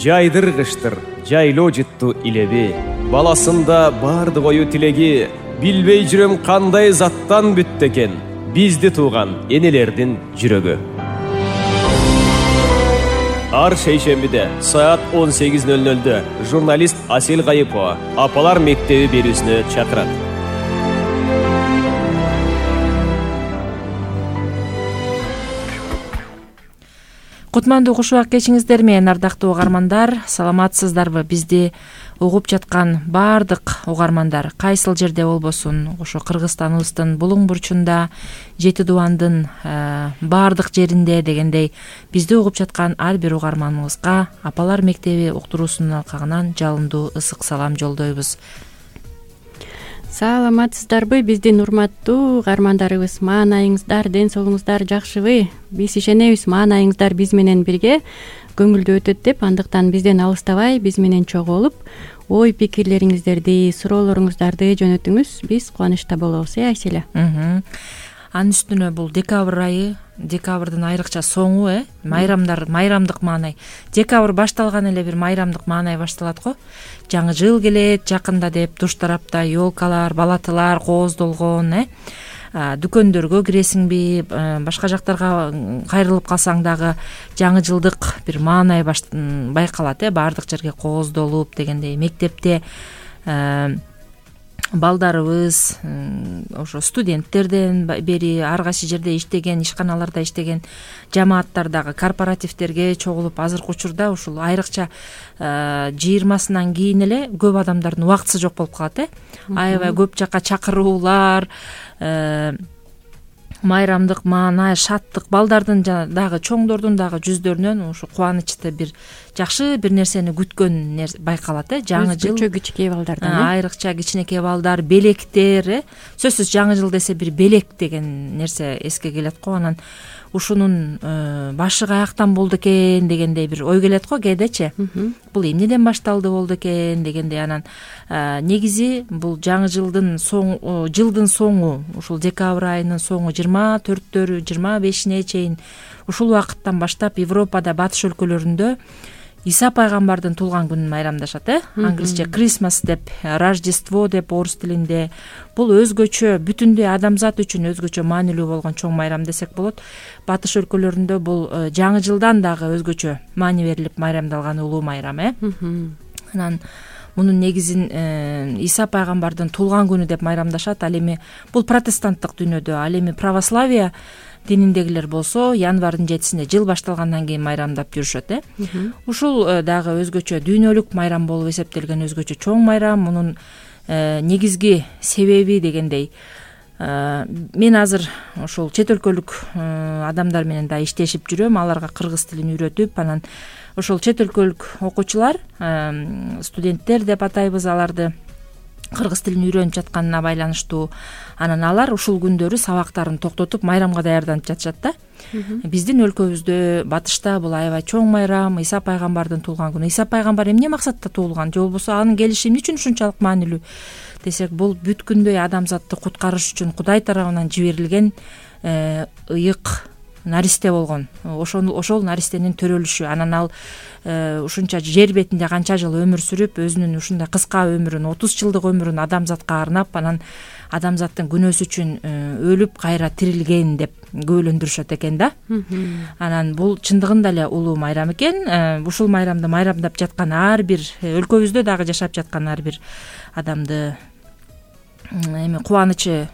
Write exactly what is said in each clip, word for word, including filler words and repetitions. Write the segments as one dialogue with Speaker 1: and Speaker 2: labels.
Speaker 1: жайдыргыштыр жайлоо жытту илеби. Баласында бардык ою тилеги, билбей жүрөм кандай заттан бүттү экен бизди тууган энелердин жүрөгү. Ар шейшембиде саат он сегиз ноль нольдө журналист Асель Гайыпова Апалар мектеби берүүсүнө чакырат.
Speaker 2: Кутмандуу куш убак кечиңиздер менен, ардактуу угармандар, саламатсыздарбы? Бизди угуп жаткан баардык угармандар кайсыл жерде болбосун, ошо Кыргызстаныбыздын булуң бурчунда, Жети Дубандын баардык жеринде дегендей бизди угуп жаткан ар бир угарманыбызга Апалар мектеби уктуруусунун алкагынан жалындуу ысык салам жолдойбуз.
Speaker 3: Саламатсыздарбы биздин урматтуу угармандарыбыз? Маанайыңыздар, ден соолугуңуздар жакшыбы? Биз ишенебиз, маанайыңыздар биз менен бирге көңүлдүү өтөт деп, андыктан бизден алыстабай, биз менен чогуу болуп, ой пикирлериңиздерди, суроолоруңуздарды жөнөтүңүз. Биз кубанычта болобуз, э Айселе?
Speaker 2: Анын үстүнө бул декабрь айы, декабрдын айрыкча соңу, э майрамдар, майрамдык маанай. Декабрь башталган эле бир майрамдык маанай башталат го. Жаңы жыл келет жакында деп, туш тарапта ёлкалар, балатылар кооздолгон, э дүкөндөргө киресиңби, башка жактарга кайрылып калсаң дагы жаңы жылдык бир маанай байкалат, э баардык жерге кооздолуп дегендей. Мектепте балдарыбыз, ошо студенттерден бери ар кайсы жерде иштеген, ишканаларда иштеген жамааттар дагы корпоративдерге чогулуп, азыркы учурда ушул айрыкча жыйырмасынан кийин эле көп адамдардын убактысы жок болуп калат, э аябай көп жака чакыруулар, майрамдык маанай, шаттык, балдардын дагы, чоңдордун дагы жүздөрүнөн ушу кубанычты бир жакшы бир нерсени күткөн байкалат, э жаңы жыл.
Speaker 3: Өзгөчө кичинекей балдардан, э
Speaker 2: айрыкча кичинекей балдар, белектер, э сөзсүз жаңы жыл десе бир белек деген нерсе эске келет го. Анан ушунун башы каяктан болду экен дегендей бир ой келет го кээдечи. Бул эмнеден башталды болду экен дегендей. Анан негизи бул жаңы жылдын соңу, жылдын соңу, ушул декабрь айынын соңу жыйырма төрттөрү, жыйырма бешине чейин ушул убакыттан баштап Европада, батыш өлкөлөрүндө Иса пайгамбардын туулган күнүн майрамдашат, э англисче Christmas деп, Рождество деп орус тилинде. Бул өзгөчө, бүтүндөй адамзат үчүн өзгөчө маанилүү болгон чоң майрам десек болот. Батыш өлкөлөрүндө бул жаңы жылдан дагы өзгөчө маани берилип майрамдалган улуу майрам, э анан мунун негизин Иса пайгамбардын туулган күнү деп майрамдашат. Ал эми бул протестанттык дүйнөдө, ал эми православие дининдегилер болсо январдын жетисинде жыл башталгандан кийин майрамдап жүрүшөт, э ушул дагы өзгөчө дүйнөлүк майрам болуп эсептелген өзгөчө чоң майрам. Мунун негизги себеби дегендей, мен азыр ошол чет өлкөлүк адамдар менен да иштешип жүрөм, аларга кыргыз тилин үйрөтүп, анан ошол чет өлкөлүк окуучулар, студенттер деп атайбыз аларды, кыргыз тилин үйрөнүп жатканына байланыштуу. Анан алар ушул күндөрү сабактарын токтотуп майрамга даярданып жатышат да. Биздин өлкөбүздө, батышта бул аябай чоң майрам, Иса пайгамбардын туулган күнү. Иса пайгамбар эмне максатта туулган, же болбосо анын келиши эмне үчүн ушунчалык маанилүү десек, бул бүткүндөй адамзатты куткарыш үчүн Кудай тарабынан жиберилген ыйык наристе болгон. Ошол ошол наристенин төрөлүшү. Анан ал ушунча жер бетинде канча жыл өмүр сүрүп, өзүнүн ушундай кыска өмүрүн, отуз жылдык өмүрүн адамзатка арнап, анан адамзаттын күнөөсү үчүн өлүп кайра тирилген деп күбөлөндүрүшөт экен да. Анан бул чындыгында эле улуу майрам экен. Ушул майрамды майрамдап жаткан ар бир, өлкөбүздө дагы жашап жаткан ар бир адамды эми кубанычы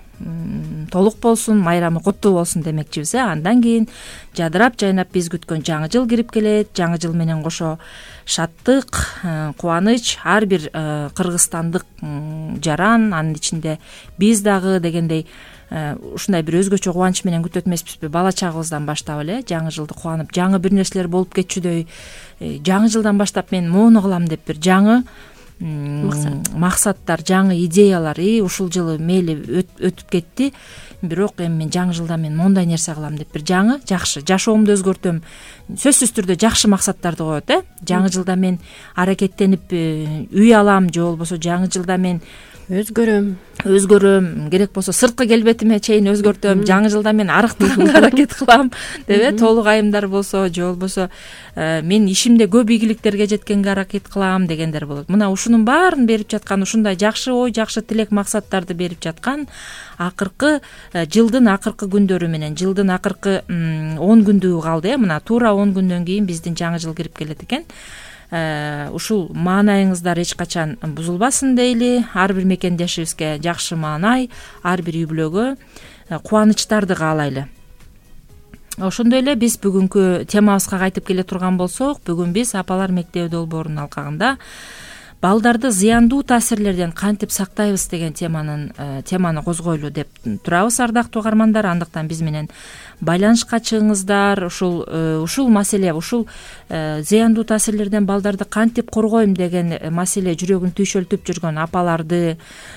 Speaker 2: толук болсун, майрамы куттуу болсун демекчибиз. э Андан кийин жадырап жайнап биз күткөн жаңы жыл кирип келет. Жаңы жыл менен кошо шаттык, кубаныч, ар бир кыргызстандык жаран, анын ичинде биз дагы дегендей ушундай бир өзгөчө кубаныч менен күтөт эмеспизби? Бала чагыбыздан баштап эле жаңы жылды кубанып, жаңы бир нерселер болуп кетчүдөй, жаңы жылдан баштап мен моуну кылам деп бир жаңы максаттар, жаңы идеялар, и ушул жылы мейли өтүп кетти, бирок эми мен жаңы жылда мен мондай нерсе кылам деп бир жаңы жакшы жашоомду өзгөртөм, сөзсүз түрдө жакшы максаттарды коет, э жаңы жылда мен аракеттенип үй алам, же болбосо жаңы жылда мен
Speaker 3: өзгөрөм
Speaker 2: өзгөрөм, керек болсо сырткы келбетиме чейин өзгөртөм, жаңы жылда мен арыктаганга аракет кылам деп э толук айымдар болсо же болбосо мен ишимде көп ийгиликтерге жеткенге аракет кылам дегендер болот. Мына ушунун баарын берип жаткан, ушундай жакшы ой, жакшы тилек, максаттарды берип жаткан акыркы жылдын акыркы күндөрү менен, жылдын акыркы он күндүгү калды э мына туура он күндөн кийин биздин жаңы жыл кирип келет экен. Ушул маанайыңыздар эч качан бузулбасын дейли. Ар бир мекендешибизге жакшы маанай, ар бир үй бүлөгө кубанычтарды каалайлы. Ошондой эле биз бүгүнкү темабызга кайтып келе турган болсок, бүгүн биз апалар мектеби долбоорунун алкагында балдарды зыяндуу таасирлерден кантип сактайбыз деген теманын теманы козгойлу деп турабыз, ардактуу угармандар. Андыктан биз менен байланышка чыгыңыздар. Ушул ушул маселе, ушул зыяндуу таасирлерден балдарды кантип коргойм деген маселе жүрөгүн түйшөлтүп жүргөн апаларды,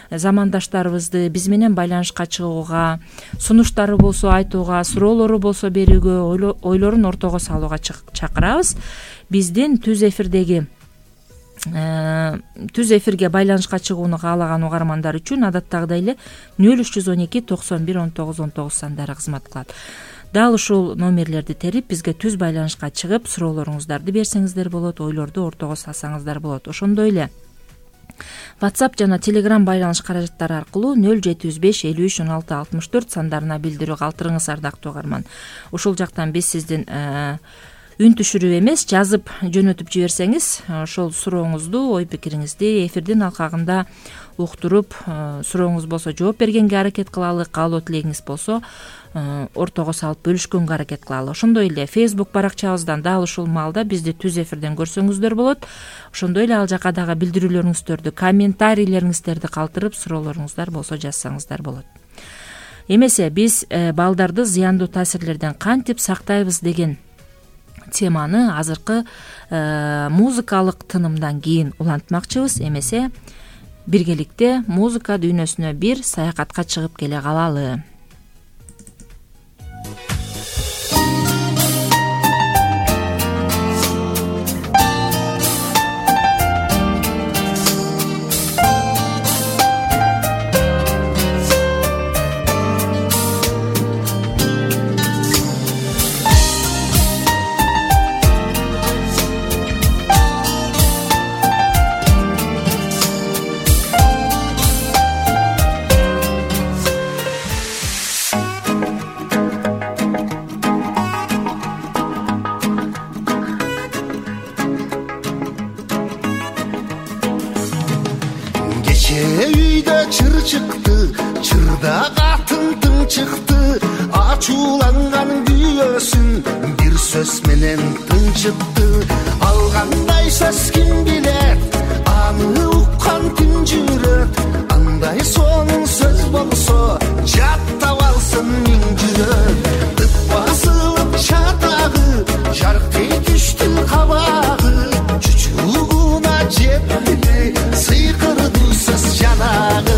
Speaker 2: замандаштарыбызды биз менен байланышка чыгууга, сунуштары болсо айтууга, суроолору болсо берүүгө, ойлорун ортого салууга чакырабыз. Биздин түз эфирдеги түз эфирге байланышка чыгууну каалаган угармандар үчүн адаттагыдай эле нөл үч жүз он эки токсон бир он тогуз он тогуз сандары кызмат кылат. Дал ушул номерлерди терип бизге түз байланышка чыгып суроолоруңуздарды берсеңиздер болот, ойлорду ортого салсаңыздар болот. Ошондой эле WhatsApp жана Telegram байланыш каражаттары аркылуу нөл жети жүз беш элүү үч он алты алтымыш төрт сандарына билдирүү калтырыңыз, ардактуу угарман. Ушул жактан биз сиздин үн түшүрүп эмес, жазып жөнөтүп жиберсеңиз, ошол сурооңузду, ой пикириңизди эфирдин алкагында уктуруп, сурооңуз болсо жооп бергенге аракет кылалы, каалоо тилегиңиз болсо ортого салып бөлүшкөнгө аракет кылалы. Ошондой эле Facebook баракчабыздан дал ушул маалда бизди түз эфирден көрсөңүздөр болот. Ошондой эле ал жака дагы билдирүүлөрүңүздөрдү, комментарийлериңиздерди калтырып, суроолоруңуздар болсо жазсаңыздар болот. Эмесе биз балдарды зыяндуу таасирлерден кантип сактайбыз деген теманы азыркы музыкалык тынымдан кийин улантмакчыбыз. Эмесе биргеликте музыка дүйнөсүнө бир саякатка чыгып келе калалы.
Speaker 4: Үйдө чыр чыкты, чырда катын тың чыкты, ачууланган күйөөсүн бир сөз менен тынчытты. Алгандай сөз ким билет, аны уккан ким жүрөт, андай сонун сөз болсо жаттап алсын миң жүрөк. Тып басылып чатагы, жарктей түштү кабагы, чучугуна жетти сыйкырды сөз жанагы.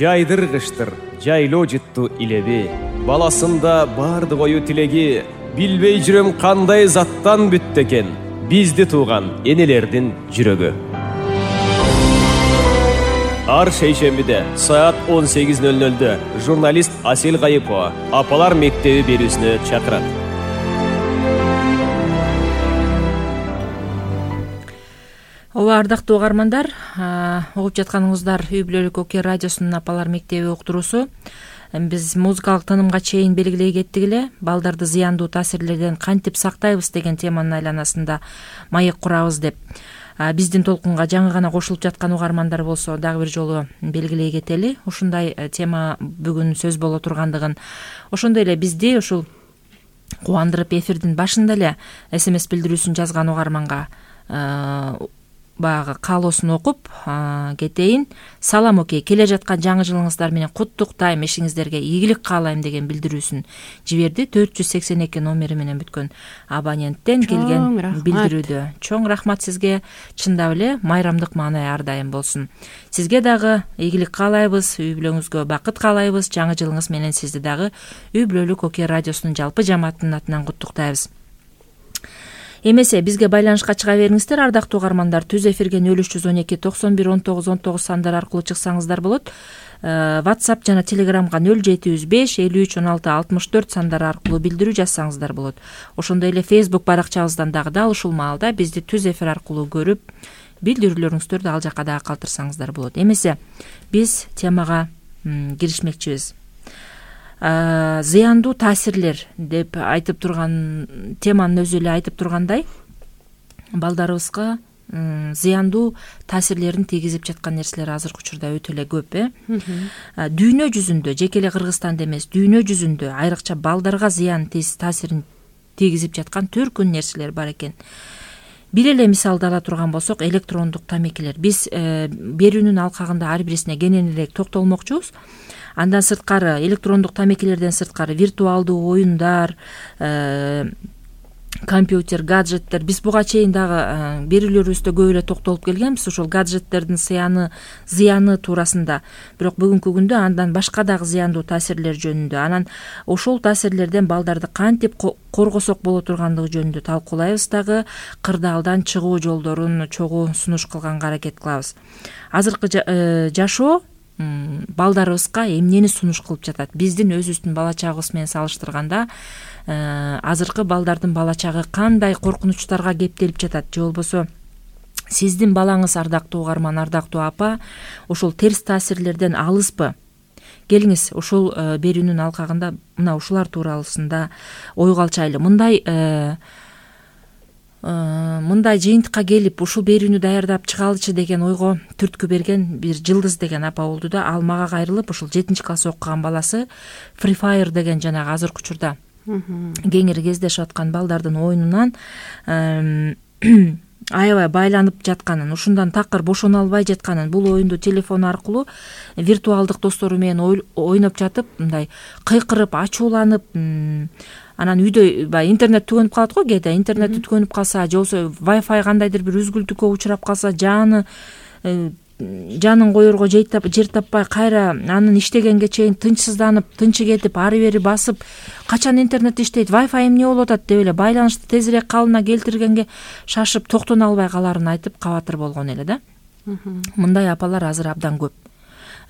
Speaker 1: жайдыргыштыр жайлоо жыттуу илеби, баласында бардык ою тилеги, билбей жүрөм кандай заттан бүттү экен бизди тууган энелердин жүрөгү. Ар шейшембиде саат он сегиз ноль нольдө журналист Асел Кайыпова апалар мектеби берүүсүнө чакырат.
Speaker 2: Ооба, ардактуу угармандар, угуп жатканыңыздар Үй бүлөлүк Оке радиосунун апалар мектеби уктуруусу. Биз музыкалык тынымга чейин белгилей кеттик эле, балдарды зыяндуу таасирлерден кантип сактайбыз деген теманын айланасында маек курабыз деп. Биздин толкунга жаңы гана кошулуп жаткан угармандар болсо дагы бир жолу белгилей кетели. Ушундай тема бүгүн сөз боло тургандыгын, ошондой эле бизди ушул кубандырып эфирдин башында эле смс билдирүүсүн жазган угарманга баягы каалоосун окуп кетейин. Салам Оке, келе жаткан жаңы жылыңыздар менен куттуктайм, ишиңиздерге ийгилик каалайм деген билдирүүсүн жиберди. төрт жүз сексен эки номери менен бүткөн абоненттен келген билдирүүдө. Чоң рахмат сизге, чындап эле майрамдык маанай ар дайым болсун. Сизге дагы ийгилик каалайбыз, үй бүлөңүзгө бакыт каалайбыз. Жаңы жылыңыз менен сизди дагы Үй бүлөлүк Оке радиосунун жалпы жамаатынын атынан куттуктайбыз. Эмесе бизге байланышка чыга бериңиздер, ардактуу угармандар. Түз эфирге нөл үч жүз он эки токсон бир он тогуз он тогуз сандар аркылуу чыксаңыздар болот. WhatsApp жана Telegramга нөл жети жүз беш элүү үч он алты алтымыш төрт сандар аркылуу билдирүү жазсаңыздар болот. Ошондой эле Facebook баракчабыздан дагы дал ушул маалда бизди түз эфир аркылуу көрүп, билдирүүлөрүңүздөрдү ал жака дагы калтырсаңыздар болот. Эмесе биз темага киришмекчибиз. Зыяндуу таасирлер деп айтып турган теманын өзү эле айтып тургандай, балдарыбызга зыяндуу таасирлерин тийгизип жаткан нерселер азыркы учурда өтө эле көп, э? Дүйнө жүзүндө, жеке эле Кыргызстанда эмес, дүйнө жүзүндө айрыкча балдарга зыян таасирин тийгизип жаткан төркүн нерселер бар экен. Бир эле мисалды ала турган болсок, электрондук тамекилер. Биз берүүнүн алкагында ар бирисине кененирээк токтолмокчубуз. Андан сырткары, электрондук тамекилерден сырткары виртуалдуу оюндар, компьютер, гаджеттер. Биз буга чейин дагы берүүлөрүбүздө көп эле токтолуп келгенбиз ошол гаджеттердин зыяны, зыяны туурасында. Бирок бүгүнкү күндө андан башка дагы зыяндуу таасирлер жөнүндө, анан ошол таасирлерден балдарды кантип коргосок боло тургандыгы жөнүндө талкуулайбыз дагы, кырдаалдан чыгуу жолдорун чогуу сунуш кылганга аракет кылабыз. Азыркы жашоо балдарыбызга эмнени сунуш кылып жатат? Биздин өзүбүздүн бала чагыбыз менен салыштырганда азыркы балдардын бала чагы кандай коркунучтарга кептелип жатат? Же болбосо сиздин балаңыз, ардактуу угарман, ардактуу апа, ошол терс таасирлерден алыспы? Келиңиз, ушул берүүнүн алкагында мына ушулар туурасында ойго алчайлы. Мындай мындай жыйынтыкка келип ушул берүүнү даярдап чыгалычы деген ойго түрткү берген бир Жылдыз деген апа болду да, ал мага кайрылып ушул жетинчи класс окуган баласы Free Fire деген жанагы азыркы учурда кеңири кездешип аткан балдардын оюнунан аябай байланып жатканын, ушундан такыр бошоно албай жатканын, бул оюнду телефон аркылуу виртуалдык достору менен ойноп жатып, мындай кыйкырып, ачууланып, анан үйдө баягы интернет түгөнүп калат го, кээде интернет түгөнүп калса, же болбосо Wi-Fi кандайдыр бир үзгүлтүккө учурап калса, жаны жанын коерго жер таппай, кайра анын иштегенге чейин тынчсызданып, тынчы кетип, ары бери басып, качан интернет иштейт, Wi-Fi эмне болуп атат деп эле байланышты тезирээк калыбына келтиргенге шашып, токтоно албай каларын айтып кабатыр болгон эле да. Мындай апалар азыр абдан көп.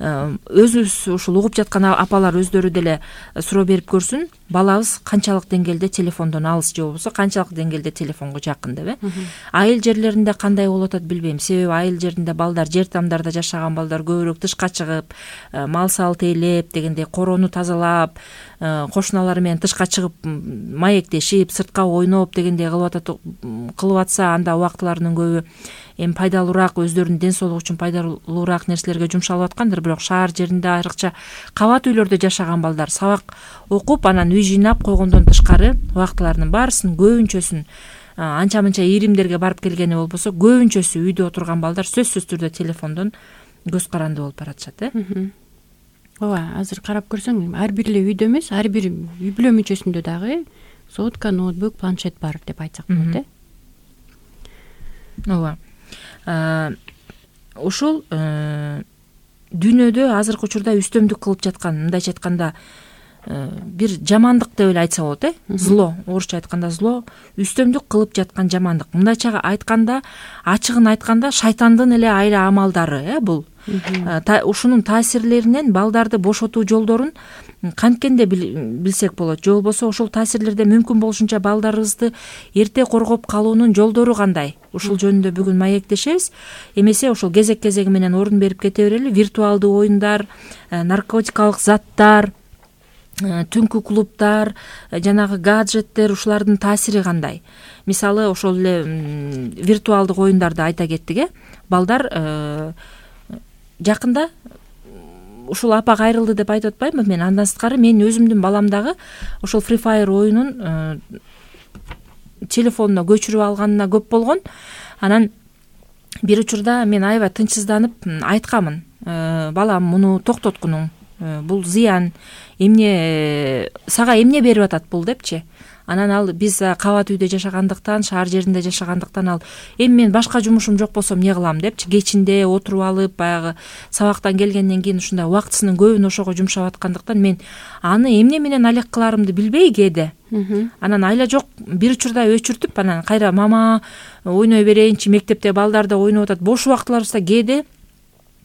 Speaker 2: Өзүбүз ушул угуп жаткан апалар өздөрү деле суроо берип көрсүн, балабыз канчалык деңгээлде телефондон алыс, же болбосо канчалык деңгээлде телефонго жакын деп, э? Айыл жерлеринде кандай болуп атат билбейм. Себеби айыл жеринде балдар, жер тамдарда жашаган балдар көбүрөөк тышка чыгып, мал сал тейлеп дегендей, короону тазалап, кошуналары менен тышка чыгып маектешип, сыртка ойноп дегендей кылып атат, кылып атса, анда убактыларынын көбү эми пайдалуураак, өздөрүнүн ден соолугу үчүн пайдалуураак нерселерге жумшалып аткандыр. Бирок шаар жеринде, айрыкча кабат үйлөрдө жашаган балдар сабак окуп, анан үй жыйнап койгондон тышкары убактыларынын баарысын, көбүнчөсүн анча-мынча ийримдерге барып келгени болбосо, көбүнчөсү үйдө отурган балдар сөзсүз түрдө телефондон көз каранды болуп баратышат, э?
Speaker 3: Ооба, азыр карап көрсөң, ар бир эле үйдө эмес, ар бир үй бүлө мүчөсүндө дагы сотка, ноутбук, планшет бар деп айтсак болот, э?
Speaker 2: Ооба. Ушул дүйнөдө азыркы учурда үстөмдүк кылып жаткан, мындайча айтканда бир жамандык деп эле айтса болот, э зло, орусча айтканда зло, үстөмдүк кылып жаткан жамандык. Мындайча айтканда, ачыгын айтканда шайтандын эле айла амалдары, э бул. Ушунун таасирлеринен балдарды бошотуу жолдорун канткенде билсек болот. Же болбосо ошол таасирлерден мүмкүн болушунча балдарыбызды эрте коргоп калуунун жолдору кандай? Ушул жөнүндө бүгүн маектешебиз. Эмесе ошол кезек-кезеги менен орун берип кете берели. Виртуалдуу оюндар, наркотикалык заттар, түнкү клубдар, жанагы гаджеттер, ушулардын таасири кандай? Мисалы, ошол эле виртуалдык оюндарды айта кеттик, э балдар жакында ушул апа кайрылды деп айтып атпаймынбы мен. Андан сырткары мен өзүмдүн балам дагы ошол Free Fire оюнун телефонуна көчүрүп алганына көп болгон. Анан бир учурда мен аябай тынчсызданып айткамын: балам, муну токтоткунуң, бул зыян, эмне сага эмне берип атат бул депчи. Анан ал биз кабат үйдө жашагандыктан, шаар жеринде жашагандыктан ал эми мен башка жумушум жок болсо эмне кылам депчи. Кечинде отуруп алып, баягы сабактан келгенден кийин ушундай убактысынын көбүн ошого жумшап аткандыктан мен аны эмне менен алек кыларымды билбей кээде. Анан айла жок бир учурда өчүртүп, анан кайра мама ойной берейинчи, мектепте балдар да ойноп атат, бош убактыларыбызда кээде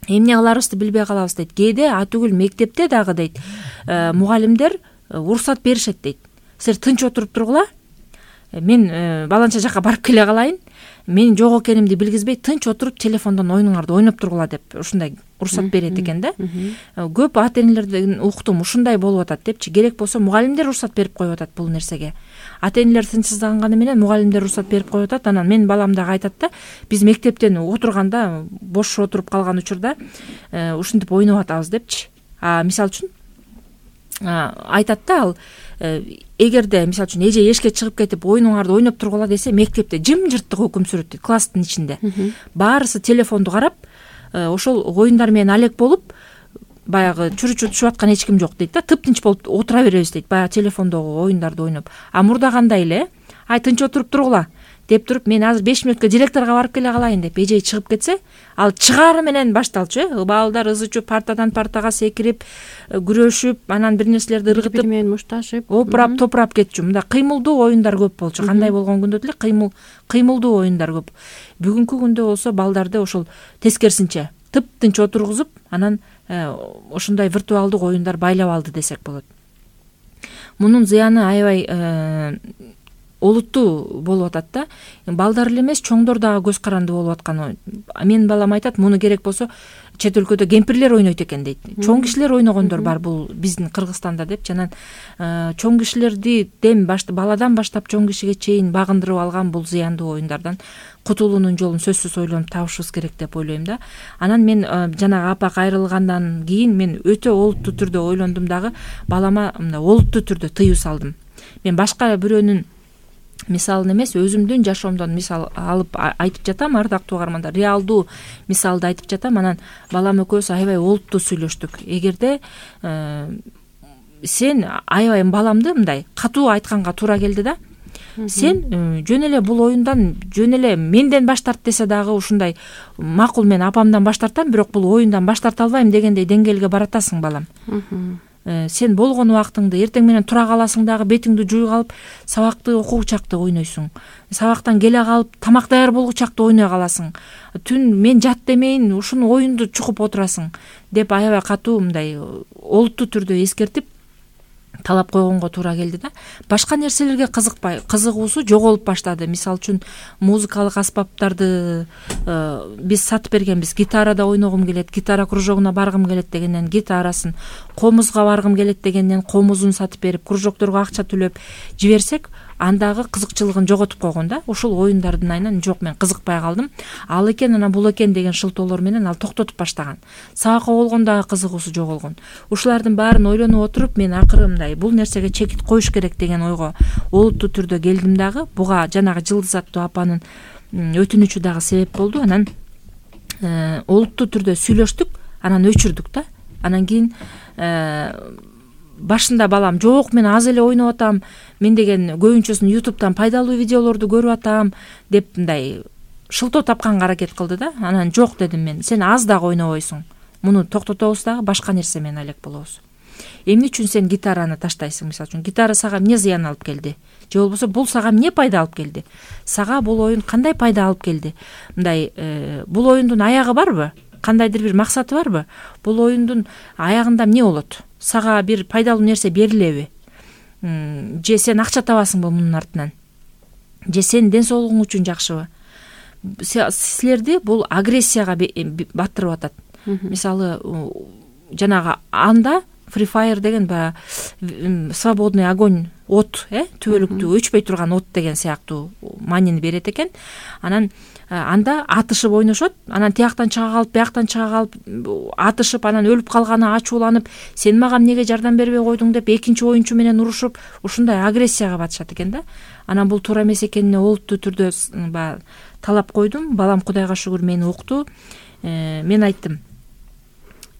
Speaker 2: эмне кыларыбызды билбей калабыз дейт. Кээде атүгүл мектепте дагы дейт мугалимдер уруксат беришет дейт. Силер тынч отуруп тургула, мен баланча жака барып келе калайын, мен жок экенимди билгизбей тынч отуруп телефондон оюнуңарды ойноп тургула деп ушундай уруксат берет экен да. Көп ата энелерден уктум, ушундай болуп атат депчи. Керек болсо мугалимдер уруксат берип коюп атат бул нерсеге. Ата энелер тынчсызданганы менен мугалимдер уруксат берип коюп атат. Анан менин балам дагы айтат да, биз мектептен отурганда, бош отуруп калган учурда ушинтип ойноп атабыз депчи. А мисалы үчүн айтат да, ал эгерде мисалы үчүн эже эшикке чыгып кетип оюнуңарды ойноп тургула десе, мектепте жымжырттык өкүм сүрөт дейт, класстын ичинде. Баарысы телефонду карап, ошол оюндар менен алек болуп, баягы чүрүчү түшүп аткан эч ким жок дейт да, тыптынч болуп отура беребиз дейт, баягы телефондогу оюндарды ойноп. А мурда кандай эле, ай тынч отуруп тургула деп туруп, мен азыр беш мүнөткө директорго барып келе калайын деп эжей чыгып кетсе, ал чыгаары менен башталчу, э балдар ызы чүп, партадан партага секирип, күрөшүп, анан бир нерселерди ыргытып, бири менен мушташып, опурап топурап кетчү. Мында кыймылдуу оюндар көп болчу. Кандай болгон күндө деле кыймыл кыймылдуу оюндар көп. Бүгүнкү күндө болсо балдарды ошол тескерисинче тыптынч отургузуп, анан ошондой виртуалдык оюндар байлап алды десек болот. Мунун зыяны аябай олуттуу болуп атат да. Балдар эле эмес, чоңдор дагы көз каранды болуп атканы. Менин балам айтат, муну керек болсо чет өлкөдө кемпирлер ойнойт экен дейт. Чоң кишилер ойногондор бар бул биздин Кыргызстанда деп. Жанан чоң кишилерди дем баладан баштап чоң кишиге чейин багындырып алган бул зыяндуу оюндардан кутулуунун жолун сөзсүз ойлонуп табышыбыз керек деп ойлойм да. Анан мен жанагы апа кайрылгандан кийин мен өтө олуттуу түрдө ойлондум дагы, балама мындай олуттуу түрдө тыюу салдым. Мен башка бирөөнүн мисалын эмес, өзүмдүн жашоомдон мисал алып айтып жатам, ардактуу угармандар. Реалдуу мисалды айтып жатам. Анан балам экөөбүз аябай олуттуу сүйлөштүк. Эгерде сен аябай баламды мындай катуу айтканга туура келди да. Сен жөн эле бул оюндан жөн эле менден баш тарт десе дагы ушундай макул, мен апамдан баш тартам, бирок бул оюндан баш тарта албайм дегендей деңгээлге баратасың балам. Сен болгон убактыңды эртең менен тура каласың дагы, бетиңди жууй калып, сабакты окуучакты ойнойсуң. Сабактан келе калып, тамак даяр болгучакты ойной каласың. Түн мен жат демейин, ушуну оюнду чукуп отурасың деп аябай катуу мындай олуттуу түрдө эскертип талап койгонго туура келди да. Башка нерселерге кызыкпай, кызыгуусу жоголуп баштады. Мисалы үчүн музыкалык аспаптарды биз сатып бергенбиз. Гитарада ойногум келет, гитара кружогуна баргым келет дегенден гитарасын, комузга баргым келет дегенден комузун сатып берип, кружокторго акча төлөп жиберсек, андагы кызыкчылыгын жоготуп койгон да. Ушул оюндардын айынан жок, мен кызыкпай калдым. Ал экен, анан бул экен деген шылтоолор менен ал токтотуп баштаган. Сабакка болгондагы кызыгуусу жоголгон. Ушулардын баарын ойлонуп отуруп, мен акыры мындай бул нерсеге чекит коюш керек деген ойго олуттуу түрдө келдим дагы. Буга жанагы Жылдыз аттуу апанын өтүнүчү дагы себеп болду. Анан олуттуу түрдө сүйлөштүк, анан өчүрдүк да. Анан кийин башында балам жок, мен аз эле ойноп атам, мен деген көбүнчөсүн ютубтан пайдалуу видеолорду көрүп атам деп мындай шылтоо тапканга аракет кылды да. Анан жок дедим мен, сен аз дагы ойнобойсуң. муну токтотобуз дагы башка нерсе менен алек болобуз. Эмне үчүн сен гитараны таштайсың? Мисалы үчүн гитара сага эмне зыян алып келди? Же болбосо бул сага эмне пайда алып келди? Сага бул оюн кандай пайда алып келди? Мындай бул оюндун аягы барбы? Кандайдыр бир максаты барбы? Бул оюндун аягында эмне болот? Сага бир пайдалуу нерсе берилеби? Же сен акча табасыңбы мунун артынан? Же сенин ден соолугуң үчүн жакшыбы? Силерди бул агрессияга баттырып атат. Мисалы, жанагы анда Free Fire деген баягы свободный огонь, от, э, түбөлүктүү өчпөй турган от деген сыяктуу маанини берет экен. Анан анда атышып ойношот, анан тияктан чыга калып, бияктан чыга калып атышып, анан өлүп калганы ачууланып, сен мага эмнеге жардам бербей койдуң деп экинчи оюнчу менен урушуп, ушундай агрессияга батышат экен да. Анан бул туура эмес экенине олуттуу түрдө баягы талап койдум. Балам Кудайга шүгүр мени укту. Мен айттым,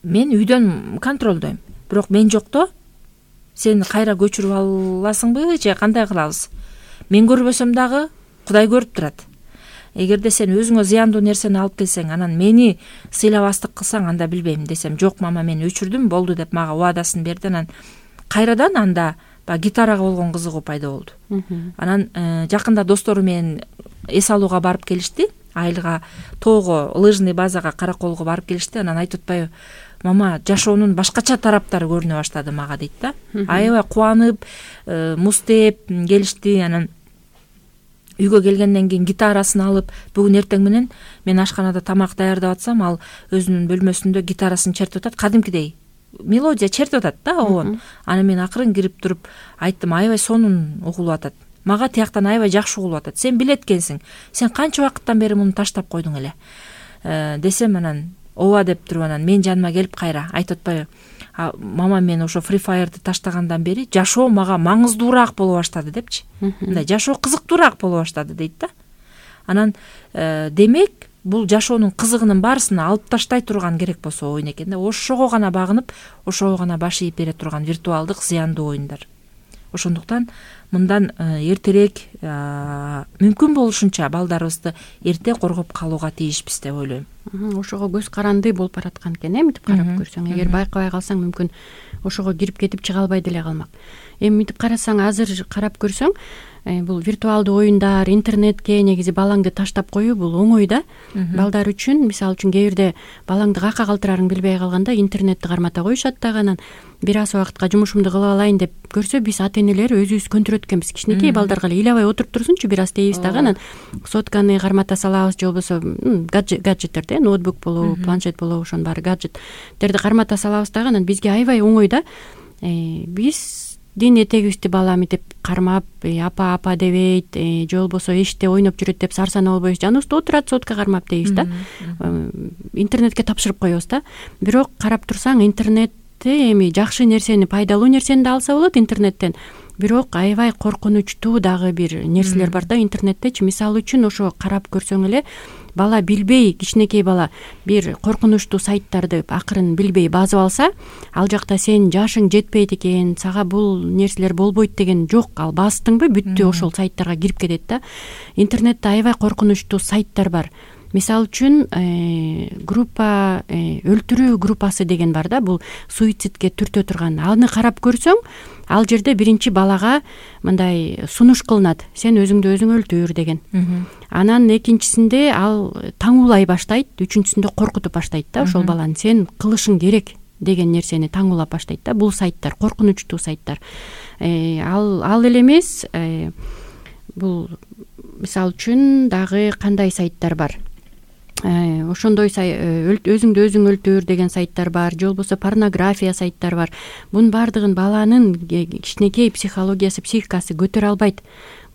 Speaker 2: мен үйдөн контролдойм. Бирок мен жокто сен кайра көчүрүп аласыңбы же кандай кылабыз? Мен көрбөсөм дагы Кудай көрүп турат. Эгерде сен өзүңө зыяндуу нерсени алып келсең, анан мени сыйлабастык кылсаң, анда билбейм десем, жок мама мен өчүрдүм, болду деп мага убадасын берди. Анан кайрадан анда баягы гитарага болгон кызыгуу пайда болду. Анан жакында достору менен эс алууга барып келишти. Айылга, тоого, лыжный базага, Караколго барып келишти. Анан айтып атпайбы, мама, жашоонун башкача тараптары көрүнө баштады мага дейт да. Аябай кубанып, муздеп келишти. Анан үйгө келгенден кийин гитарасын алып, бүгүн эртең менен мен ашканада тамак даярдап атсам, ал өзүнүн бөлмөсүндө гитарасын чертип атат, кадимкидей мелодия чертип атат да, обон. Анан мен акырын кирип туруп айттым, аябай сонун угулуп атат. Мага тияктан аябай жакшы угулуп атат. Сен билет экенсиң. Сен канча убакыттан бери муну таштап койдуң эле? Десем, анан ооба деп туруп, анан мен жаныма келип кайра айтып атпайбы, мама, мен ошо Free Fire'ды таштагандан бери жашоо мага маңыздуураак боло баштады депчи. Мындай жашоо кызыктуураак боло баштады дейт да. Анан демек, бул жашоонун кызыгынын баарысын алып таштай турган керек болсо оюн экен да. Ошого гана багынып, ошого гана баш ийип бере турган виртуалдык зыяндуу оюндар. Ошондуктан мындан эртерээк мүмкүн болушунча балдарыбызды эрте коргоп калууга тийишпиз деп ойлойм.
Speaker 3: Ошого көз каранды болуп бараткан экен, мынтип карап көрсөң. Эгер байкабай калсаң, мүмкүн ошого кирип кетип чыга албай деле калмак. Эми мынтип карасаң, азыр карап көрсөң, бул виртуалдуу оюндар, интернетке негизи балаңды таштап коюу бул оңой да. Балдар үчүн, мисалы үчүн, кээ бирде балаңды кака калтырарын билбей калганда интернетти кармата коюшат дагы. Анан бир аз убакытка жумушумду кылып алайын деп көрсө, биз ата энелер өзүбүз көндүрөт экенбиз. Кичинекей балдарга эле ыйлабай отуруп турсунчу, бир аз дейбиз дагы. Анан сотканы кармата салабыз, же болбосо гаджеттерди, ноутбук болобу, планшет болобу, ошонун баары гаджеттерди кармата салабыз дагы. Анан бизге аябай оңой да. Биз дин этегибизди бала митип кармап, апа апа дебейт, же болбосо эшикте ойноп жүрөт деп сарсана болбойбуз. Жаныбызда отурат, сотка кармап дейбиз да. Интернетке тапшырып коебуз да. Бирок карап турсаң, интернетте эми жакшы нерсени, пайдалуу нерсени да алса болот интернеттен. Бирок аябай коркунучтуу дагы бир нерселер бар да интернеттечи. Мисалы үчүн, ошо карап көрсөң эле, бала билбей, кичинекей бала бир коркунучтуу сайттарды акырын билбей базып алса, ал жакта сен жашың жетпейт экен, сага бул нерселер болбойт деген жок. Ал бастыңбы, бүттү, ошол сайттарга кирип кетет да. Интернетте аябай коркунучтуу сайттар бар. Мисалы үчүн, группа, өлтүрүү группасы деген бар да, бул суицидке түртө турган. Аны карап көрсөң, ал жерде биринчи балага мындай сунуш кылынат, сен өзүңдү өзүң өлтүр деген. Анан экинчисинде ал таңуулай баштайт, үчүнчүсүндө коркутуп баштайт да, ошол баланы сен кылышың керек деген нерсени таңуулап баштайт да. Бул сайттар коркунучтуу сайттар. Ал ал эле эмес, бул мисалы үчүн дагы кандай сайттар бар? Ошондой өзүңдү өзүң өлтүр деген сайттар бар, же болбосо порнография сайттар бар. Бунун баардыгын баланын кичинекей психологиясы, психикасы көтөрө албайт.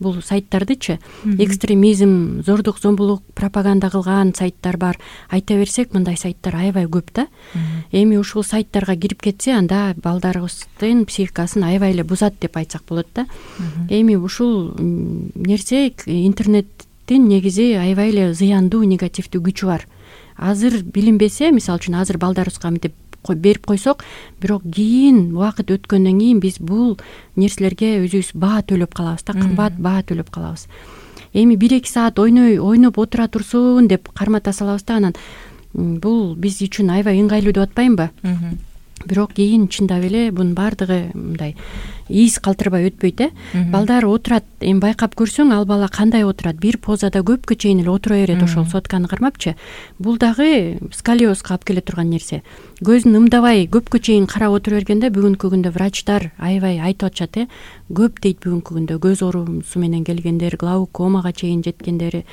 Speaker 3: Бул сайттардычы экстремизм, зордук зомбулук пропаганда кылган сайттар бар. Айта берсек, мындай сайттар аябай көп да. Эми ушул сайттарга кирип кетсе, анда балдарыбыздын психикасын аябай эле бузат деп айтсак болот да. Эми ушул нерсе, интернет негизи аябай эле зыяндуу, негативдүү күчү бар. Азыр билинбесе, мисалы үчүн азыр балдарыбызга мынтип берип койсок, бирок кийин убакыт өткөндөн кийин биз бул нерселерге өзүбүз баа төлөп калабыз да, кымбат баа төлөп калабыз. Эми бир эки саат ойной ойноп отура турсун деп кармата салабыз да, анан бул биз үчүн аябай ыңгайлуу деп атпаймынбы? Бирок кийин чындап эле бунун баардыгы мындай из калтырбай өтпөйт э. Балдар отурат, эми байкап көрсөң ал бала кандай отурат, бир позада көпкө чейин эле отура берет ошол сотканы кармапчы. Бул дагы сколиозго алып келе турган нерсе. Көзүн ымдабай көпкө чейин карап отура бергенде бүгүнкү күндө врачтар аябай айтып атышат э. Көп дейт бүгүнкү күндө көз оорусу менен келгендер, глаукомага чейин жеткендери.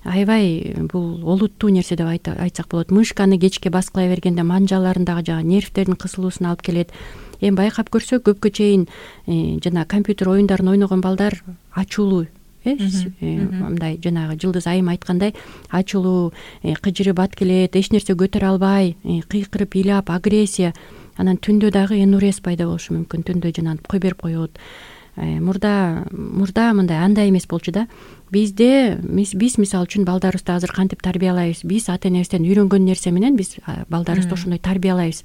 Speaker 3: Аябай бул олуттуу нерсе деп айтсак болот. Мышканы кечке баскылай бергенде манжаларындагы жана нервтердин кысылуусуна алып келет. Эми байкап көрсөк көпкө чейин жана компьютер оюндарын ойногон балдар ачуулуу э, мындай жанагы Жылдыз айым айткандай ачуулуу, кыжырып ат келет, эч нерсе көтөрө албай, кыйкырып ыйлап, агрессия. Анан түндө дагы энурез пайда болушу мүмкүн. Түндө жанагы кой берип коет. Мурда мурда мындай андай эмес болчу да. Бизде биз мисалы үчүн балдарыбызды азыр кантип тарбиялайбыз? Биз ата энебизден үйрөнгөн нерсе менен биз балдарыбызды ошондой тарбиялайбыз.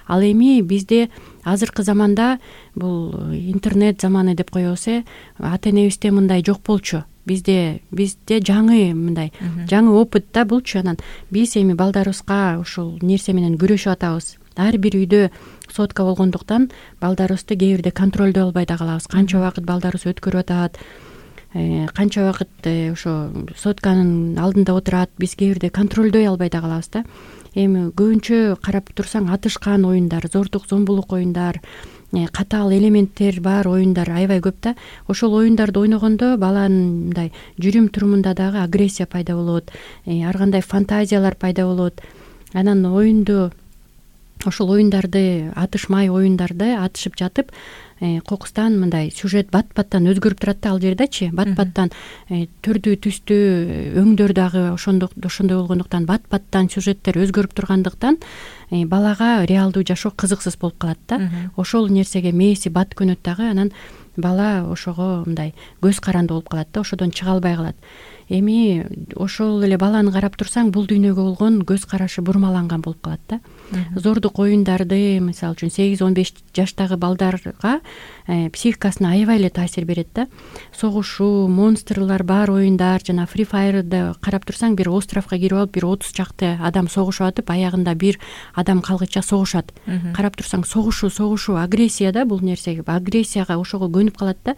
Speaker 3: Ал эми бизде азыркы заманда бул интернет заманы деп коебуз э. Ата энебизде мындай жок болчу. Бизде бизде жаңы мындай жаңы опыт да булчу. Анан биз эми балдарыбызга ушул нерсе менен күрөшүп атабыз. Ар бир үйдө сотка болгондуктан балдарыбызды кээ бирде контролдой албай да калабыз. Канча убакыт балдарыбыз өткөрүп атат, канча убакыт ошо сотканын алдында отурат, биз кээ бирде контролдой албай да калабыз да. Эми көбүнчө карап турсаң атышкан оюндар, зордук зомбулук оюндар, катаал элементтер бар оюндар аябай көп да. Ошол оюндарды ойногондо баланын мындай жүрүм турумунда дагы агрессия пайда болот, ар кандай фантазиялар пайда болот. Анан оюнду ошол оюндарды атышмай оюндарды атышып жатып кокустан мындай сюжет бат-баттан өзгөрүп турат да. Ал жердечи бат-баттан түрдүү түстүү өңдөр дагы ошондой ошондой болгондуктан бат-баттан сюжеттер өзгөрүп тургандыктан балага реалдуу жашоо кызыксыз болуп калат да. Ошол нерсеге мээси бат көнөт дагы. Анан бала ошого мындай көз каранды болуп калат да, ошодон чыга албай калат. Эми ошол эле баланы карап турсаң бул дүйнөгө болгон көз карашы бурмаланган болуп калат да. Зордук оюндарды мисалы үчүн сегиз он беш жаштагы балдарга психикасына аябай эле таасир берет да. Согушуу, монстрлар бар оюндар, жана Free Fire'ды карап турсаң бир островко кирип алып бир отуз чакты адам согушуп атып, аягында бир адам калгыча согушат. Карап турсаң согушуу, согушуу, агрессия да бул нерсеге, агрессияга ошого көнүп калат да.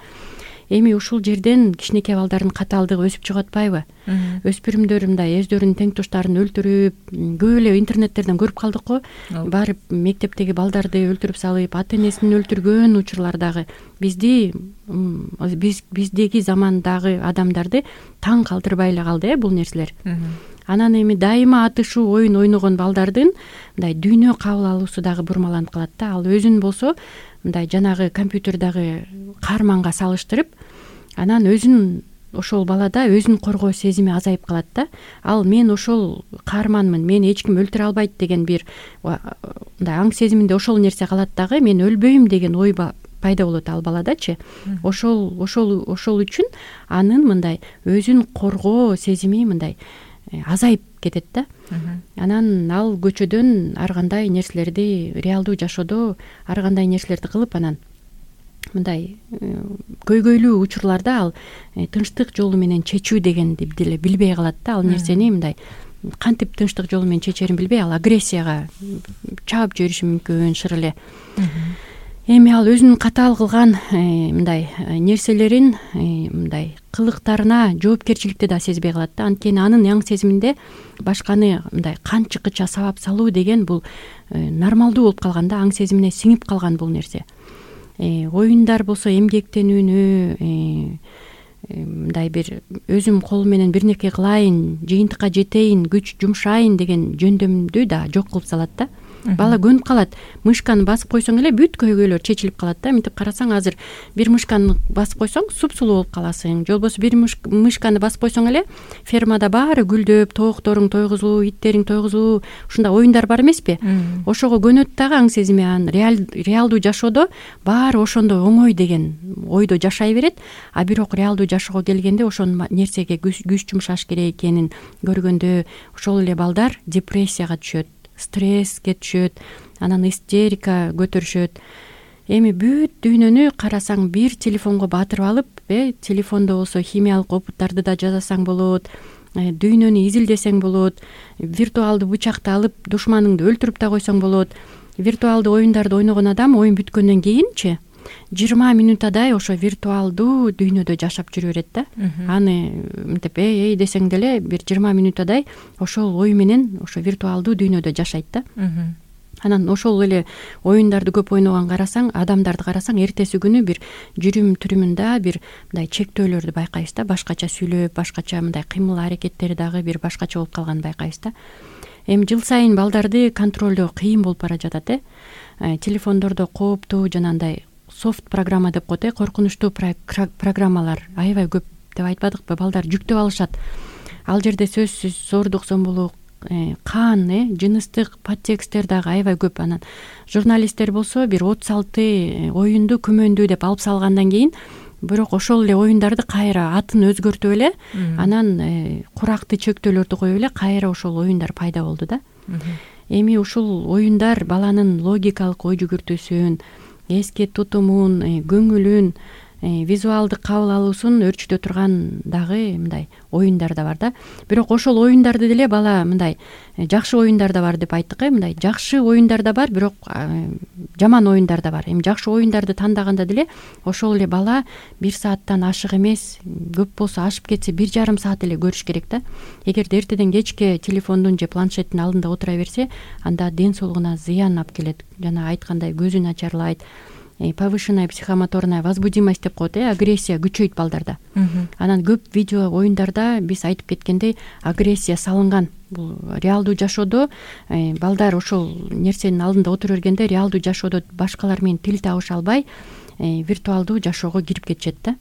Speaker 3: Эми ушул жерден кичинекей балдардын катаалдыгы өсүп чыгып атпайбы? Өспүрүмдөр мындай өздөрүнүн теңдоштарын өлтүрүп, көп эле интернеттерден көрүп калдык го. Барып мектептеги балдарды өлтүрүп салып, ата энесин өлтүргөн учурлар дагы бизди биз биздеги замандагы адамдарды таң калтырбай эле калды э бул нерселер. Анан эми дайыма атышуу оюн ойногон балдардын мындай дүйнө кабыл алуусу дагы бурмаланып калат да. Ал өзүн болсо мындай жанагы компьютердагы каарманга салыштырып, анан өзүн ошол балада өзүн коргоо сезими азайып калат да. Ал мен ошол каарманмын, мени эч ким өлтүрө албайт деген бир мындай аң сезиминде ошол нерсе калат дагы. Мен өлбөйм деген ой пайда болот ал баладачы. Ошол ошол ошол үчүн анын мындай өзүн коргоо сезими мындай азайып кетет да. Анан ал көчөдөн ар кандай нерселерди реалдуу жашоодо ар кандай нерселерди кылып, анан мындай көйгөйлүү учурларда ал тынчтык жолу менен чечүү дегенди деле билбей калат да. Ал нерсени мындай кантип тынчтык жолу менен чечерин билбей, ал агрессияга чаап жибериши мүмкүн шыр эле. Эми ал өзүнүн катаал кылган мындай нерселерин мындай кылыктарына жоопкерчиликти да сезбей калат да. Анткени анын аң сезиминде башканы мындай канчыкыча сабап салуу деген бул нормалдуу болуп калган да, аң сезимине сиңип калган бул нерсе. Оюндар болсо эмгектенүүнү, мындай бир өзүм колум менен бир нерсе кылайын, жыйынтыкка жетейин, күч жумшайын деген жөндөмдү да жок кылып салат да. Бала көнүп калат. Мышканы басып койсоң эле бүт көйгөйлөр чечилип калат да. Мынтип карасаң азыр бир мышканы басып койсоң супсулуу болуп каласың. Же болбосо бир мышканы басып койсоң эле фермада баары гүлдөп, тоокторуң тойгузулуу, иттериң тойгузулуу, ушундай оюндар бар эмеспи? Ошого көнөт дагы аң сезими. Анан реалдуу жашоодо баары ошондой оңой деген ойдо жашай берет. А бирок реалдуу жашоого келгенде ошол нерсеге күч жумшаш керек экенин көргөндө ошол эле балдар депрессияга түшөт, стресске түшөт, анан истерика көтөрүшөт. Эми бүт дүйнөнү карасаң бир телефонго батырып алып, э телефондо болсо химиялык опыттарды да жасасаң болот, дүйнөнү изилдесең болот, виртуалдуу бычакты алып душманыңды өлтүрүп да койсоң болот. Виртуалдуу оюндарды ойногон адам оюн бүткөндөн кийинчи жыйырма минутадай ошо виртуалдуу дүйнөдө жашап жүрө берет да. Аны мынтип эй эй десең деле бир жыйырма минутадай ошол ой менен ошо виртуалдуу дүйнөдө жашайт да. Анан ошол эле оюндарды көп ойногон карасаң, адамдарды карасаң, эртеси күнү бир жүрүм түрүмүндө бир мындай чектөөлөрдү байкайбыз да, башкача сүйлөп, башкача мындай кыймыл аракеттери дагы бир башкача болуп калганын байкайбыз да. Эми жыл сайын балдарды контролдоо кыйын болуп бара жатат э. Телефондордо кооптуу жанагындай софт программа деп коет э, коркунучтуу программалар аябай көп деп айтпадыкпы, балдар жүктөп алышат. Ал жерде сөзсүз зордук зомбулук, кан, э, жыныстык подтексттер дагы аябай көп. Анан журналисттер болсо бир отуз алты оюнду күмөндүү деп алып салгандан кийин, бирок ошол эле оюндарды кайра атын өзгөртүп эле, анан куракты чектөөлөрдү коюп эле кайра ошол оюндар пайда болду да. Эми ушул оюндар баланын логикалык ой жүгүртүүсүн, эске тутумун, көңүлүн, визуалдык кабыл алуусун өөрчүтө турган дагы мындай оюндар да бар да. Бирок ошол оюндарды деле бала мындай жакшы оюндар да бар деп айттык э, мындай жакшы оюндар да бар, бирок жаман оюндар да бар. Эми жакшы оюндарды тандаганда деле ошол эле бала бир сааттан ашык эмес, көп болсо ашып кетсе бир жарым саат эле көрүш керек да. Эгерде эртеден кечке телефондун же планшеттин алдында отура берсе, анда ден соолугуна зыян алып келет. Жана айткандай көзүн ачарлайт. Повышенная психомоторная возбудимость деп коет э, агрессия күчөйт балдарда. Анан көп видео оюндарда биз айтып кеткендей агрессия салынган. Бул реалдуу жашоодо балдар ошол нерсенин алдында отура бергенде реалдуу жашоодо башкалар менен тил табыша албай виртуалдуу жашоого кирип кетишет да.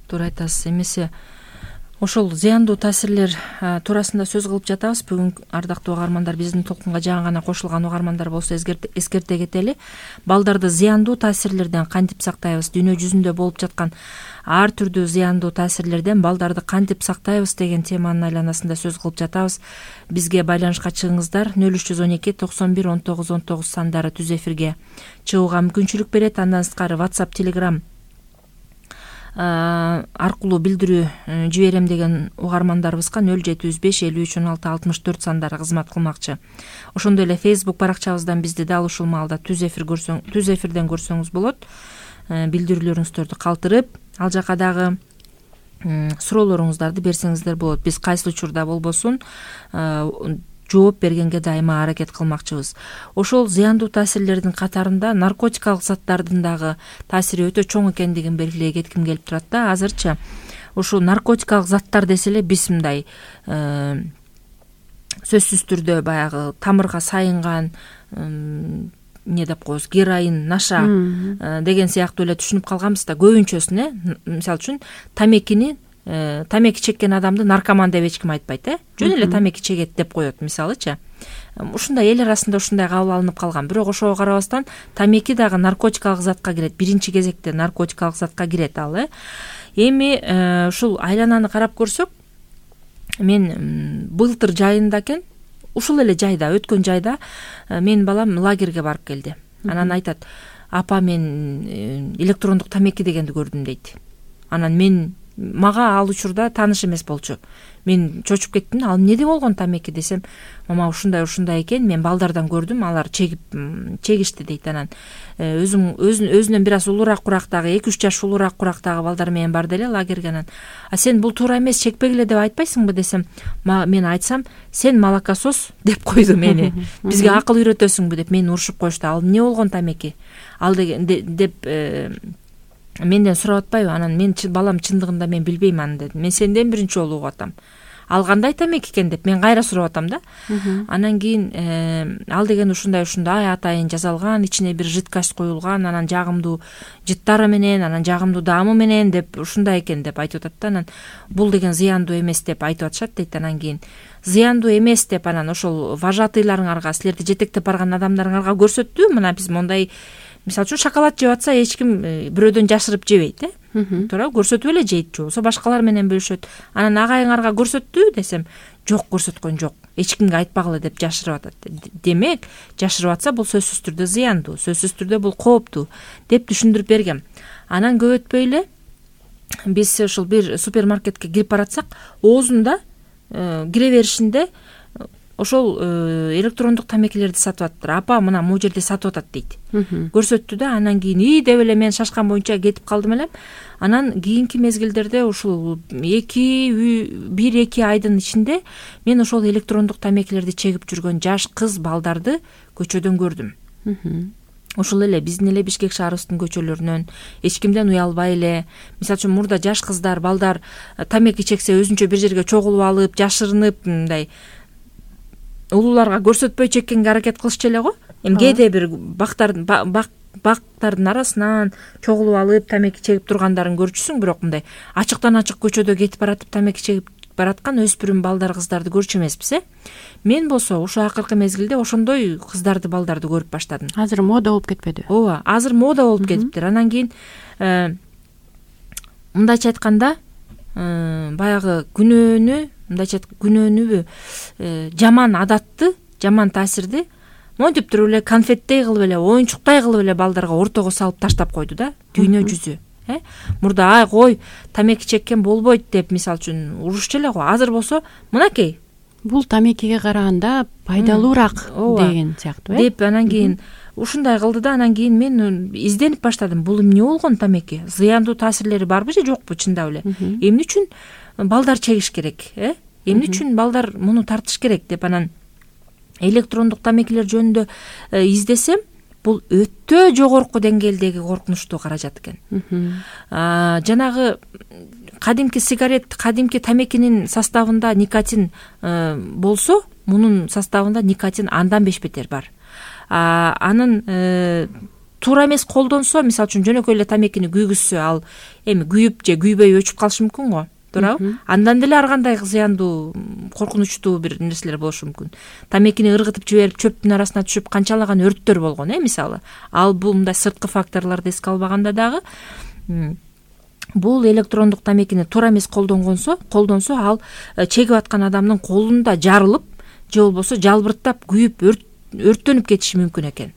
Speaker 2: Туура айтасыз. Эмесе ошол зыяндуу таасирлер туурасында сөз кылып жатабыз. Бүгүн ардактуу угармандар, биздин толкунга жаңы гана кошулган угармандар болсо эскерте кетели. Балдарды зыяндуу таасирлерден кантип сактайбыз? Дүйнө жүзүндө болуп жаткан ар түрдүү зыяндуу таасирлерден балдарды кантип сактайбыз деген теманын айланасында сөз кылып жатабыз. Бизге байланышка чыгыңыздар. нөл үч жүз он эки токсон бир он тогуз он тогуз сандары түз эфирге чыгууга мүмкүнчүлүк берет. Андан сырткары WhatsApp, Telegram аркылуу билдирүү жиберем деген угармандарыбызга нөл жети жүз беш элүү үч он алты алтымыш төрт сандары кызмат кылмакчы. Ошондой эле Facebook баракчабыздан бизди дал ушул маалда түз эфир көрсөң, түз эфирден көрсөңүз болот. Билдирүүлөрүңүздөрдү калтырып, ал жака дагы суроолоруңуздарды берсеңиздер болот. Биз кайсы учурда болбосун жооп бергенге дайыма аракет кылмакчыбыз. Ошол зыяндуу таасирлердин катарында наркотикалык заттардын дагы таасири өтө чоң экендигин белгилей кетким келип турат да. Азырча ошол наркотикалык заттар десе эле биз мындай сөзсүз түрдө баягы тамырга сайынган эмне деп коебуз, героин, наша деген сыяктуу эле түшүнүп калганбыз да. Көбүнчөсүн э, мисалы үчүн тамекини тамеки чеккен адамды наркоман деп эч ким айтпайт э. Жөн эле тамеки чегет деп коет мисалычы. Ушундай эл арасында ушундай кабыл алынып калган. Бирок ошого карабастан тамеки дагы наркотикалык затка кирет. Биринчи кезекте наркотикалык затка кирет ал э. Эми ушул айлананы карап көрсөк, мен былтыр жайында экен, ушул эле жайда, өткөн жайда менин балам лагерге барып келди. Анан айтат: "Апа, мен электрондук тамеки дегенди көрдүм" дейт. Анан мен мага ал учурда тааныш эмес болчу. Мен чочуп кеттим. Ал эмне болгон тамеки десем, мама ушундай ушундай экен, мен балдардан көрдүм, алар чегип чегишти дейт. Анан өзүм өзүнөн бир аз улуураак курактагы, эки үч жаш улуураак курактагы балдар менен барды эле лагерге. Анан: "А сен бул туура эмес, чекпегиле" деп айтпайсыңбы десем, мен айтсам: "Сен молокосос" деп койду мени. "Бизге акыл үйрөтөсүңбү" деп мени урушуп коюшту. Ал эмне болгон тамеки? Ал деген деп менден сурап атпайбы? Анан мен балам чындыгында мен билбейм аны дедим. Мен сенден биринчи жолу угуп атам. Ал кандай тамеки экен деп мен кайра сурап атам да. Анан кийин ал деген ушундай ушундай атайын жасалган, ичине бир жидкость коюлган, анан жагымдуу жыттары менен, анан жагымдуу даамы менен деп ушундай экен деп айтып атат да. Анан бул деген зыяндуу эмес деп айтып атышат дейт. Анан кийин зыяндуу эмес деп анан ошол вожатыйларыңарга, силерди жетектеп барган адамдарыңарга көрсөттү. Мына биз мондай, мисалы үчүн шоколад жеп атса эч ким бирөөдөн жашырып жебейт э. Туура көрсөтүп эле жейт, же болбосо башкалар менен бөлүшөт. Анан агайыңарга көрсөттү десем, жок, көрсөткөн жок, эч кимге айтпагыла деп жашырып атат. Демек, жашырып атса бул сөзсүз түрдө зыяндуу, сөзсүз түрдө бул кооптуу деп түшүндүрүп бергем. Анан көп өтпөй эле биз ушул бир супермаркетке кирип баратсак, оозунда кире беришинде ошол электрондук тамекилерди сатып атыптыр. Апа, мына могу жерде сатып атат дейт. Көрсөттү да, анан кийин ий деп эле мен шашкан боюнча кетип калдым элем. Анан кийинки мезгилдерде ушул эки бир эки айдын ичинде мен ошол электрондук тамекилерди чегип жүргөн жаш кыз балдарды көчөдөн көрдүм. Ушул эле биздин эле Бишкек шаарыбыздын көчөлөрүнөн эч кимден уялбай эле, мисалы үчүн мурда жаш кыздар, балдар тамеки чексе өзүнчө бир жерге чогулуп алып, жашырынып, мындай улууларга көрсөтпөй чеккенге аракет кылышчу эле го. Эми кээде бир бактардын бактардын арасынан чогулуп алып тамеки чегип тургандарын көрчүсүң, бирок мындай ачыктан ачык көчөдө кетип баратып тамеки чегип бараткан өспүрүм балдар, кыздарды көрчү эмеспиз, э? Мен болсо ушул акыркы мезгилде ошондой кыздарды, балдарды көрүп баштадым.
Speaker 3: Азыр мода болуп кетпедиби?
Speaker 2: Ооба, азыр мода болуп кетиптир. Анан кийин мындайча айтканда, баягы күнөөнү, мындайча күнөөнүбү, жаман адатты, жаман таасирди монтип туруп эле конфеттей кылып эле, оюнчуктай кылып эле балдарга ортого салып таштап койду да, дүйнө жүзү. Э? Мурда ай кой, тамеки чеккен болбойт деп мисалы үчүн урушчу эле го. Азыр болсо, мынакей,
Speaker 3: бул тамекиге караганда пайдалуураак деген сыяктуу, э?
Speaker 2: Деп анан кийин ушундай кылды да, анан кийин мен изденип баштадым. Бул эмне болгон тамеки? Зыяндуу таасирлери барбы же жокпу чындап эле? Эмне үчүн балдар чегиш керек, э? Эмне үчүн балдар муну тартыш керек деп анан электрондук тамекилер жөнүндө издесем, бул өтө жогорку деңгээлдеги коркунучтуу каражат экен. Жанагы кадимки сигарет, кадимки тамекинин составында никотин болсо, мунун составында никотин андан беш бетер бар. Анын туура эмес колдонсо, мисалы үчүн жөнөкөй эле тамекини күйгүзсө, ал эми күйүп же күйбөй өчүп калышы мүмкүн го. Туурабы? Андан деле ар кандай зыяндуу, коркунучтуу бир нерселер болушу мүмкүн. Тамекини ыргытып жиберип, чөптүн арасына түшүп канчалаган өрттөр болгон, э, мисалы. Ал бул мындай сырткы факторлорду эске албаганда дагы бул электрондук тамекини туура эмес колдонгонсо, колдонсо, ал чегип аткан адамдын колунда жарылып, же болбосо жалбырттап, күйүп, өрттөнүп кетиши мүмкүн экен.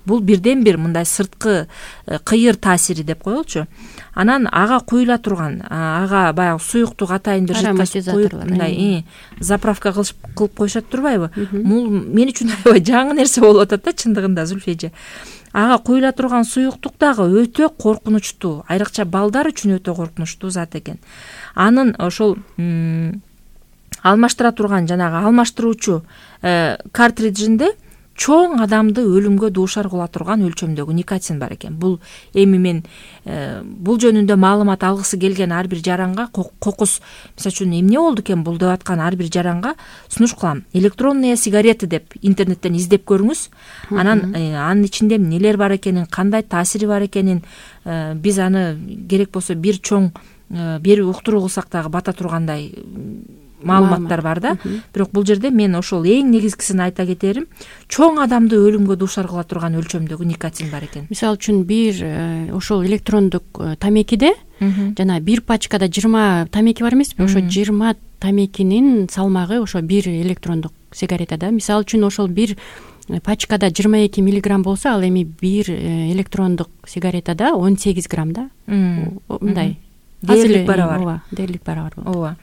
Speaker 2: Бул бирден бир мындай сырткы кыйыр таасири деп коелучу. Анан ага куюла турган, ага баягы суюктук атайын бир жыткас куюп, мындай заправка кылып коюшат турбайбы? Бул мен үчүн аябай жаңы нерсе болуп атат да, чындыгында, Зүлфи. Ага куюла турган суюктук дагы өтө коркунучтуу, айрыкча балдар үчүн өтө коркунучтуу зат экен. Анын ошол алмаштыра турган жанагы алмаштыруучу картриджинде чоң адамды өлүмгө дуушар кыла турган өлчөмдөгү никотин бар экен. Бул эми мен бул жөнүндө маалымат алгысы келген ар бир жаранга, кокус, мисалы үчүн эмне болду экен бул деп аткан ар бир жаранга сунуш кылам. Электронные сигареты деп интернеттен издеп көрүңүз. Анан анын ичинде эмнелер бар экенин, кандай таасири бар экенин, биз аны керек болсо бир чоң бир уктуруу кылсак дагы бата тургандай маалыматтар бар да. Бирок бул жерде мен ошол эң негизгисин айта кетерим, чоң адамды өлүмгө дуушар кыла турган өлчөмдөгү никотин бар экен.
Speaker 3: Мисалы үчүн бир ошол электрондук тамекиде жана бир пачкада жыйырма тамеки бар эмеспи? Ошо жыйырма тамекинин салмагы ошо бир электрондук сигаретада. Мисалы үчүн ошол бир пачкада жыйырма эки миллиграмм болсо, ал эми бир электрондук сигаретада он сегиз грамм да. Мындай
Speaker 2: дээрлик барабар.
Speaker 3: Ооба, дээрлик барабар.
Speaker 2: Ооба.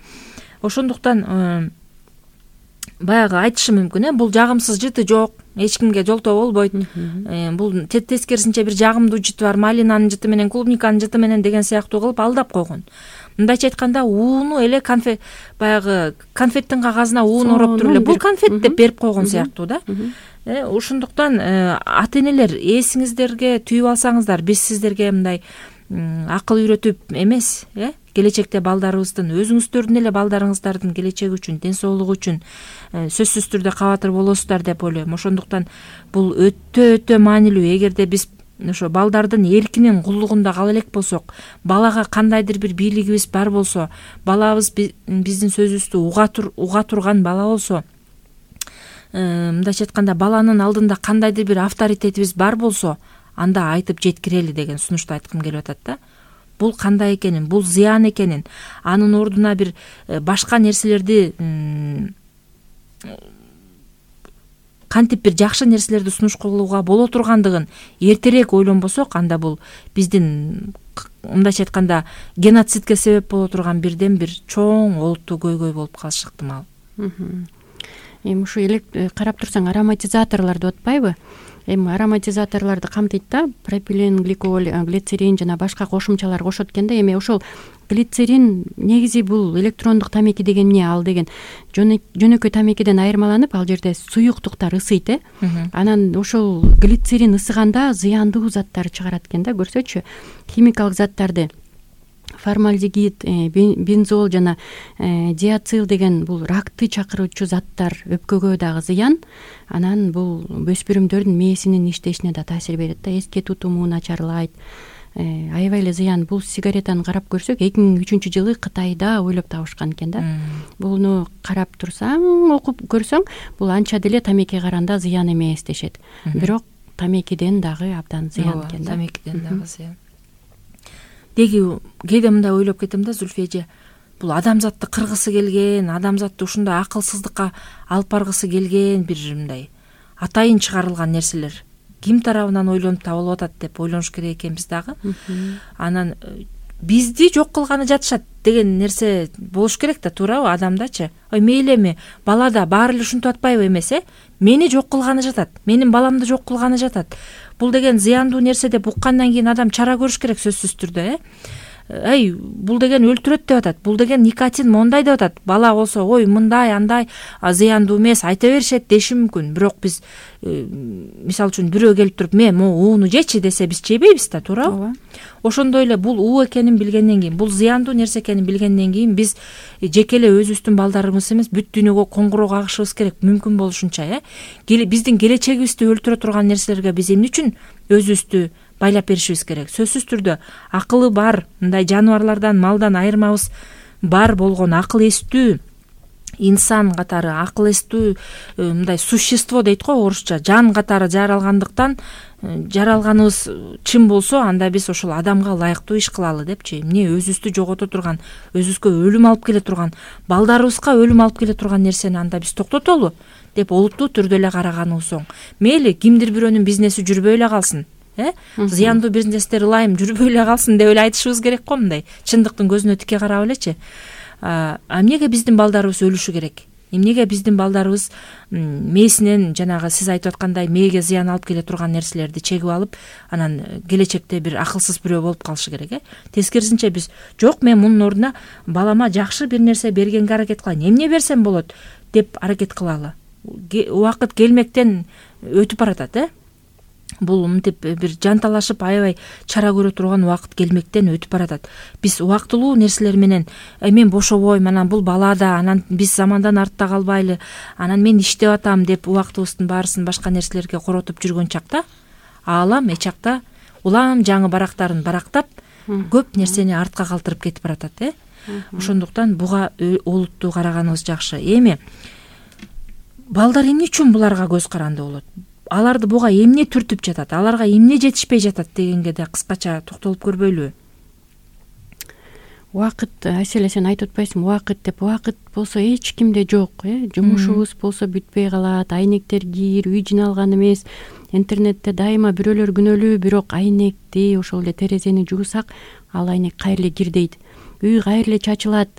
Speaker 2: Ошондуктан баягы айтышы мүмкүн, э, бул жагымсыз жыты жок, эч кимге жолтоо болбойт. Бул тескерисинче бир жагымдуу жыты бар, малинанын жыты менен, клубниканын жыты менен деген сыяктуу кылып алдап койгон. Мындайча айтканда, ууну эле конфет, баягы конфеттин кагазына уун ороп туруп эле бул конфет деп берип койгон сыяктуу да. Ошондуктан ата-энелер, эсиңиздерге түйүп алсаңыздар, биз сиздерге мындай акыл үйрөтүп эмес, э? Келечекте балдарыбыздын, өзүңүздөрдүн эле балдарыңыздардын келечеги үчүн, ден соолугу үчүн сөзсүз түрдө кабатыр болосуздар деп ойлойм. Ошондуктан бул өтө өтө маанилүү. Эгерде биз ошо балдардын эркинин куллугунда кала элек болсок, балага кандайдыр бир бийлигибиз бар болсо, балабыз биздин сөзүбүздү уга турган бала болсо, мындайча айтканда баланын алдында кандайдыр бир авторитетибиз бар болсо, анда айтып жеткирели деген сунушту айткым келип атат да. Бул кандай экенин, бул зыян экенин, анын ордуна бир башка нерселерди кантип бир жакшы нерселерди сунуш кылууга боло тургандыгын эртерээк ойлонбосок, анда бул биздин мындайча айтканда геноцидке себеп боло турган бирден бир чоң олуттуу көйгөй болуп калышы ыктымал.
Speaker 3: Эми ушу карап турсаң ароматизаторлор деп атпайбы? Эми ароматизаторлорду камтыйт да, пропилен, гликол, глицерин жана башка кошумчалар кошот экен да. Эми ошол глицерин негизи бул электрондук тамеки деген эмне? Ал деген жөнөкөй тамекиден айырмаланып, ал жерде суюктуктар ысыйт, э. Анан ошол глицерин ысыганда зыяндуу заттар чыгарат экен да, көрсөчү. Химикалык заттарды формальдегид, бензол жана диацил деген бул ракты чакыруучу заттар өпкөгө дагы зыян. Анан бул өспүрүмдөрдүн мээсинин иштешине да таасир берет да, эске тутуму начарлайт. Аябай эле зыян. Бул сигаретаны карап көрсөк, эки миң үчүнчү жылы Кытайда ойлоп табышкан экен да. Буну карап турсаң, окуп көрсөң, бул анча деле тамекиге караганда зыян эмес дешет. Бирок тамекиден дагы абдан зыян экен да.
Speaker 2: Тамекиден дагы зыян. Деги кээде мындай ойлоп кетем да, Зүлфия эже, бул адамзатты кыргысы келген, адамзатты ушундай акылсыздыкка алып баргысы келген бир мындай атайын чыгарылган нерселер ким тарабынан ойлонуп табылып атат деп ойлонуш керек экенбиз дагы. Анан бизди жок кылганы жатышат деген нерсе болуш керек да, туурабы? Адамдачы, ой мейли эми балада баары эле ушинтип атпайбы эмес, э? Мени жок кылганы жатат, менин баламды жок кылганы жатат. Бул деген зыяндуу нерсе деп уккандан кийин адам чара көрүш керек сөзсүз түрдө, э? Эй, бул деген өлтүрөт деп атат, бул деген никотин мондай деп атат. Бала болсо, ой мындай андай зыяндуу эмес айта беришет деши мүмкүн. Бирок биз мисалы үчүн бирөө келип туруп, "Мен могу ууну жечи" десе, биз жебейбиз да, туурабы? Ошондой эле бул уу экенин билгенден кийин, бул зыяндуу нерсе экенин билгенден кийин биз жеке эле өзүбүздүн балдарыбыз эмес, бүт дүйнөгө коңгуроо кагышыбыз керек, мүмкүн болушунча, э? Биздин келечегибизди өлтүрө турган нерселерге биз эмне үчүн өзүбүздү байлап беришибиз керек? Сөзсүз түрдө акылы бар, мындай жаныбарлардан, малдан айырмабыз бар болгон акыл эстүү инсан катары, акыл эстүү мындай существо дейт го орусча, жан катары жаралгандыктан, жаралганыбыз чын болсо, анда биз ошол адамга ылайыктуу иш кылалы депчи. Эмне өзүбүздү жогото турган, өзүбүзгө өлүм алып келе турган, балдарыбызга өлүм алып келе турган нерсени анда биз токтотолу деп олуттуу түрдө эле караганыбыз оң. Мейли кимдир бирөөнүн бизнеси жүрбөй эле калсын, э? Зыяндуу бизнестер ылайым жүрбөй эле калсын деп эле айтышыбыз керек го, мындай чындыктын көзүнө тике карап элечи. А эмнеге биздин балдарыбыз өлүшү керек? Эмнеге биздин балдарыбыз мээсинен жанагы сиз айтып аткандай мээге зыян алып келе турган нерселерди чегип алып, анан келечекте бир акылсыз бирөө болуп калышы керек, э? Тескерисинче биз жок, мен мунун ордуна балама жакшы бир нерсе бергенге аракет кылайын, эмне берсем болот деп аракет кылалы. Убакыт келмектен өтүп баратат, э? Бул мынтип бир жанталашып аябай чара көрө турган убакыт келмектен өтүп баратат. Биз убактылуу нерселер менен мен бошобойм, анан бул балада, анан биз замандан артта калбайлы, анан мен иштеп атам деп убактыбыздын баарысын башка нерселерге коротуп жүргөн чакта, аалам эчакта улам жаңы барактарын барактап, көп нерсени артка калтырып кетип баратат, э? Ошондуктан буга олуттуу караганыбыз жакшы. Эми балдар эмне үчүн буларга көз каранды болот? Аларды буга эмне түртүп жатат, аларга эмне жетишпей жатат дегенге да кыскача токтолуп көрбөйлүбү?
Speaker 3: Убакыт, Айселе сен айтып атпайсыңбы, убакыт деп. Убакыт болсо эч кимде жок, э? Жумушубуз болсо бүтпөй калат, айнектер кир, үй жиналган эмес. Интернетте дайыма бирөөлөр күнөөлүү, бирок айнекти ошол эле терезени жуусак, ал айнек кайра кир дейт. Үй кайра эле чачылат.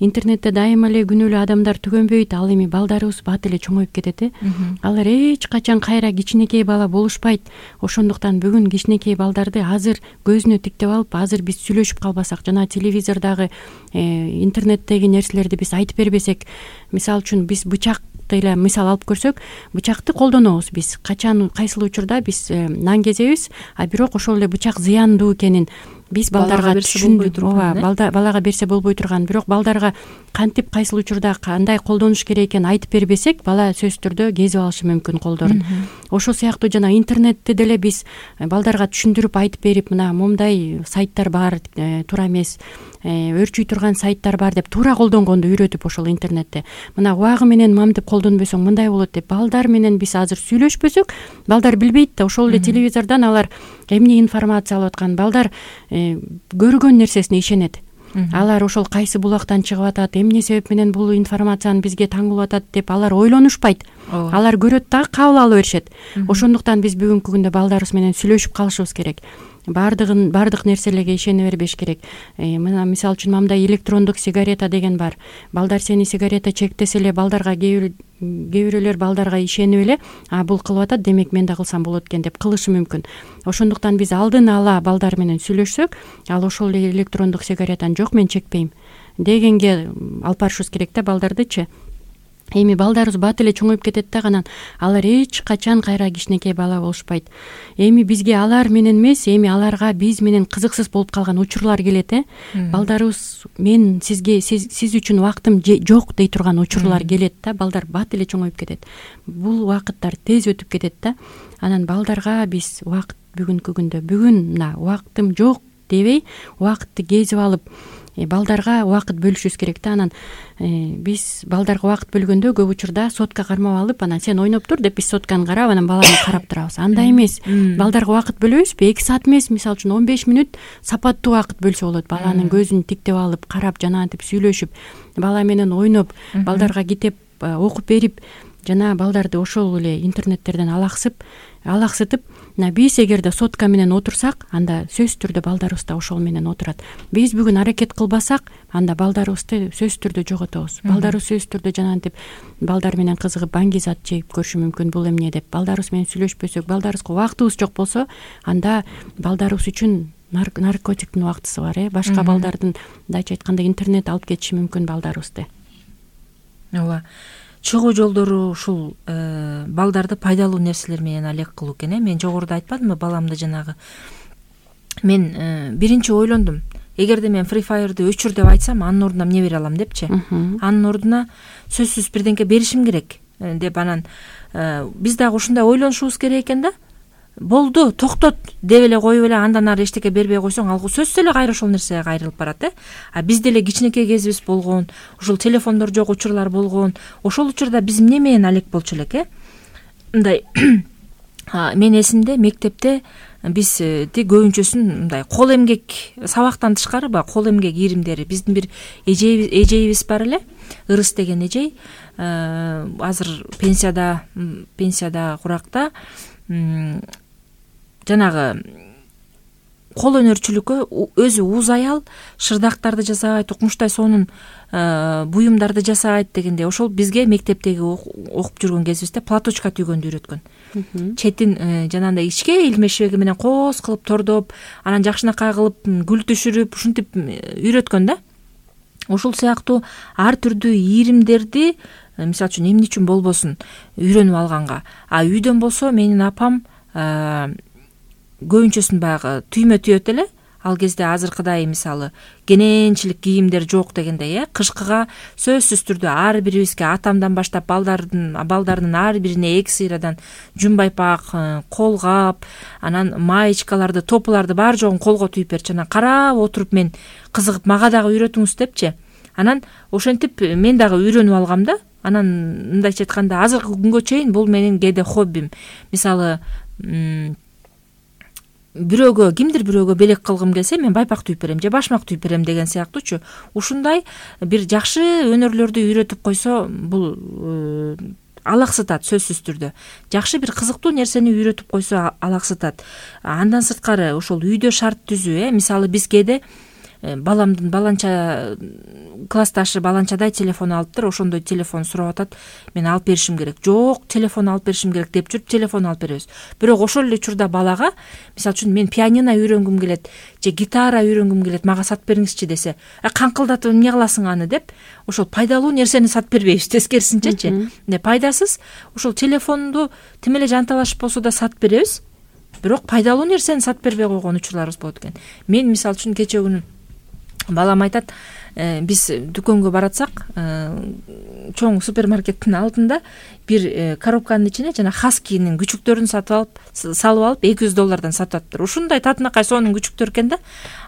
Speaker 3: Интернетте дайыма эле күнөөлүү адамдар түгөнбөйт, ал эми балдарыбыз бат эле чоңоюп кетет, э? Алар эч качан кайра кичинекей бала болушпайт. Ошондуктан бүгүн кичинекей балдарды азыр көзүнө тиктеп алып, азыр биз сүйлөшүп калбасак, жана телевизордогу, интернеттеги нерселерди биз айтып бербесек, мисалы үчүн биз бычак эле мисал алып көрсөк, бычакты колдонобуз биз. Качан кайсыл учурда биз нан кезебиз, а бирок ошол эле бычак зыяндуу экенин биз балдарга түшүндүрүп, ооба, балага берсе болбой турган, бирок балдарга кантип кайсыл учурда кандай колдонуш керек экенин айтып бербесек, бала сөзсүз түрдө кезип алышы мүмкүн колдорун. Ошол сыяктуу жана интернетти деле биз балдарга түшүндүрүп айтып берип, мына момундай сайттар бар, туура эмес, өрчүй турган сайттар бар деп туура колдонгонду үйрөтүп ошол интернетте. Мына убагы менен мамтып колдонбосоң мындай болот деп балдар менен биз азыр сүйлөшпөсөк, балдар билбейт да, ошол эле телевизордон алар эмне информация алып аткан, балдар көргөн нерсесине ишенет. алар ошол кайсы булактан чыгып атат, эмне себеп менен бул информацияны бизге таңылып атат деп алар ойлонушпайт. Алар көрөт да кабыл ала беришет. Ошондуктан биз бүгүнкү күндө балдарыбыз менен сүйлөшүп калышыбыз керек. Бардыгын бардык нерселерге ишене бербеш керек. Мына мисалы үчүн мындай электрондук сигарета деген бар. Балдар сени сигарета чектесе эле балдарга кээ бирөөлөр балдарга ишенип эле, а бул кылып атат, демек мен да кылсам болот экен деп кылышы мүмкүн. Ошондуктан биз алдын ала балдар менен сүйлөшсөк, ал ошол эле электрондук сигаретаны жок мен чекпейм дегенге алып барышыбыз керек да балдардычы. Эми балдарыбыз бат эле чоңоюп кетет да, анан алар эч качан кайра кичинекей бала болушпайт. Эми бизге алар менен эмес, эми аларга биз менен кызыксыз болуп калган учурлар келет, э. Балдарыбыз мен сизге сиз, сиз үчүн убактым жок дей турган учурлар келет да, балдар бат эле чоңоюп кетет. Бул убакыттар тез өтүп кетет да. Анан балдарга биз убакыт бүгүнкү күндө бүгүн мына убактым жок дебей, убакытты кезип алып балдарга убакыт бөлүшүбүз керек да. Анан биз балдарга убакыт бөлгөндө көп учурда сотка кармап алып, анан сен ойноп тур деп биз сотканы карап, анан баланы карап турабыз. Андай эмес. Балдарга убакыт бөлөбүзбү? эки саат эмес, мисалы үчүн он беш мүнөт сапаттуу убакыт бөлсө болот. Баланын көзүн тиктеп алып, карап, жанагынтип сүйлөшүп, бала менен ойноп, балдарга китеп окуп берип, жана балдарды ошол эле интернеттерден алаксып, алаксытып, мына биз эгерде сотка менен отурсак, анда сөзсүз түрдө балдарыбыз да ошол менен отурат. Биз бүгүн аракет кылбасак, анда балдарыбызды сөзсүз түрдө жоготобуз. Балдарыбыз сөзсүз түрдө жанагынтип балдар менен кызыгып баңги зат жеп көрүшү мүмкүн, бул эмне деп. Балдарыбыз менен сүйлөшпөсөк, балдарыбызга убактыбыз жок болсо, анда балдарыбыз үчүн наркотиктин убактысы бар, э. Башка балдардын, мындайча айтканда, интернет алып кетиши мүмкүн балдарыбызды.
Speaker 2: Ооба. Чыгуу жолдору ушул балдарды пайдалуу нерселер менен алек кылуу экен, э. Мен жогоруда айтпадымбы, баламды жанагы мен биринчи ойлондум. Эгерде мен Free Fire'ды өчүр деп айтсам, анын ордуна эмне бере алам депчи. Анын ордуна сөзсүз бирденке беришим керек деп, анан биз дагы ушундай ойлонушубуз керек экен да. Болду, токтот деп эле коюп эле андан ары эчтеке бербей койсоң, ал сөзсүз эле кайра ошол нерсеге кайрылып барат, э. А бизде эле кичинекей кезибиз болгон, ушул телефондор жок учурлар болгон. Ошол учурда биз эмне менен алек болчу элек, э? Мындай мен эсимде мектепте биз ти көбүнчөсүн мындай кол эмгек, сабактан тышкары ба кол эмгек ийримдери. Биздин бир эжейбиз, эжейибиз бар эле, Ырыс деген эжей. Азыр пенсияда, пенсияда куракта. Жанагы кол өнөрчүлүккө өзү уз аял шырдактарды жасайт, укмуштай сонун буюмдарды жасайт дегенде, ошол бизге мектептеги окуп жүргөн кезибизде платочка түйгөндү үйрөткөн. Четин жанагындай ичке илмешеги менен коос кылып тордоп, анан жакшынакай кылып гүл түшүрүп, ушинтип үйрөткөн да. Ошол сыяктуу ар түрдүү ийримдерди, мисалы үчүн эмне үчүн болбосун, үйрөнүп алганга. А үйдөн болсо менин апам көбүнчөсүн баягы түймө түйөт эле. Ал кезде азыркыдай мисалы кененчилик кийимдер жок дегендей, э. Кышкыга сөзсүз түрдө ар бирибизге атамдан баштап балдардын балдарынын ар бирине эки сыйрадан жумбайпак, колгап, анан маечкаларды, топуларды бар жогун колго түйүп берчи. Анан карап отуруп мен кызыгып, мага дагы үйрөтүңүз депчи. Анан ошентип мен дагы үйрөнүп алгам да. Анан мындайча айтканда азыркы күнгө чейин бул менин кээде хоббим. Мисалы бирөөгө, кимдир бирөөгө белек кылгым келсе, мен байпак түйүп берем же башмак түйүп берем деген сыяктуучу. Ушундай бир жакшы өнөрлөрдү үйрөтүп койсо, бул алаксытат сөзсүз түрдө. Жакшы бир кызыктуу нерсени үйрөтүп койсо алаксытат. Андан сырткары ошол үйдө шарт түзүү, э. Мисалы биз кээде баламдын баланча классташы баланчадай телефон алыптыр, ошондой телефон сурап атат, мен алып беришим керек. Жок, телефон алып беришим керек деп жүрүп телефон алып беребиз. Бирок ошол эле учурда балага, мисалы үчүн мен пианино үйрөнгүм келет, же гитара үйрөнгүм келет, мага сатып бериңизчи десе, каңкылдатып эмне кыласың аны деп, ошол пайдалуу нерсени сатып бербейбиз, тескерисинчечи. Пайдасыз ошол телефонду тим эле жанталашып болсо да сатып беребиз, бирок пайдалуу нерсени сатып бербей койгон учурларыбыз болот экен. Мен мисалы үчүн кече күнү балам айтат, биз дүкөнгө баратсак, чоң супермаркеттин алдында бир коробканын ичине жана Хаскинин күчүктөрүн сатып алып, салып алып эки жүз доллардан сатып атыптыр. Ушундай татынакай сонун күчүктөр экен да.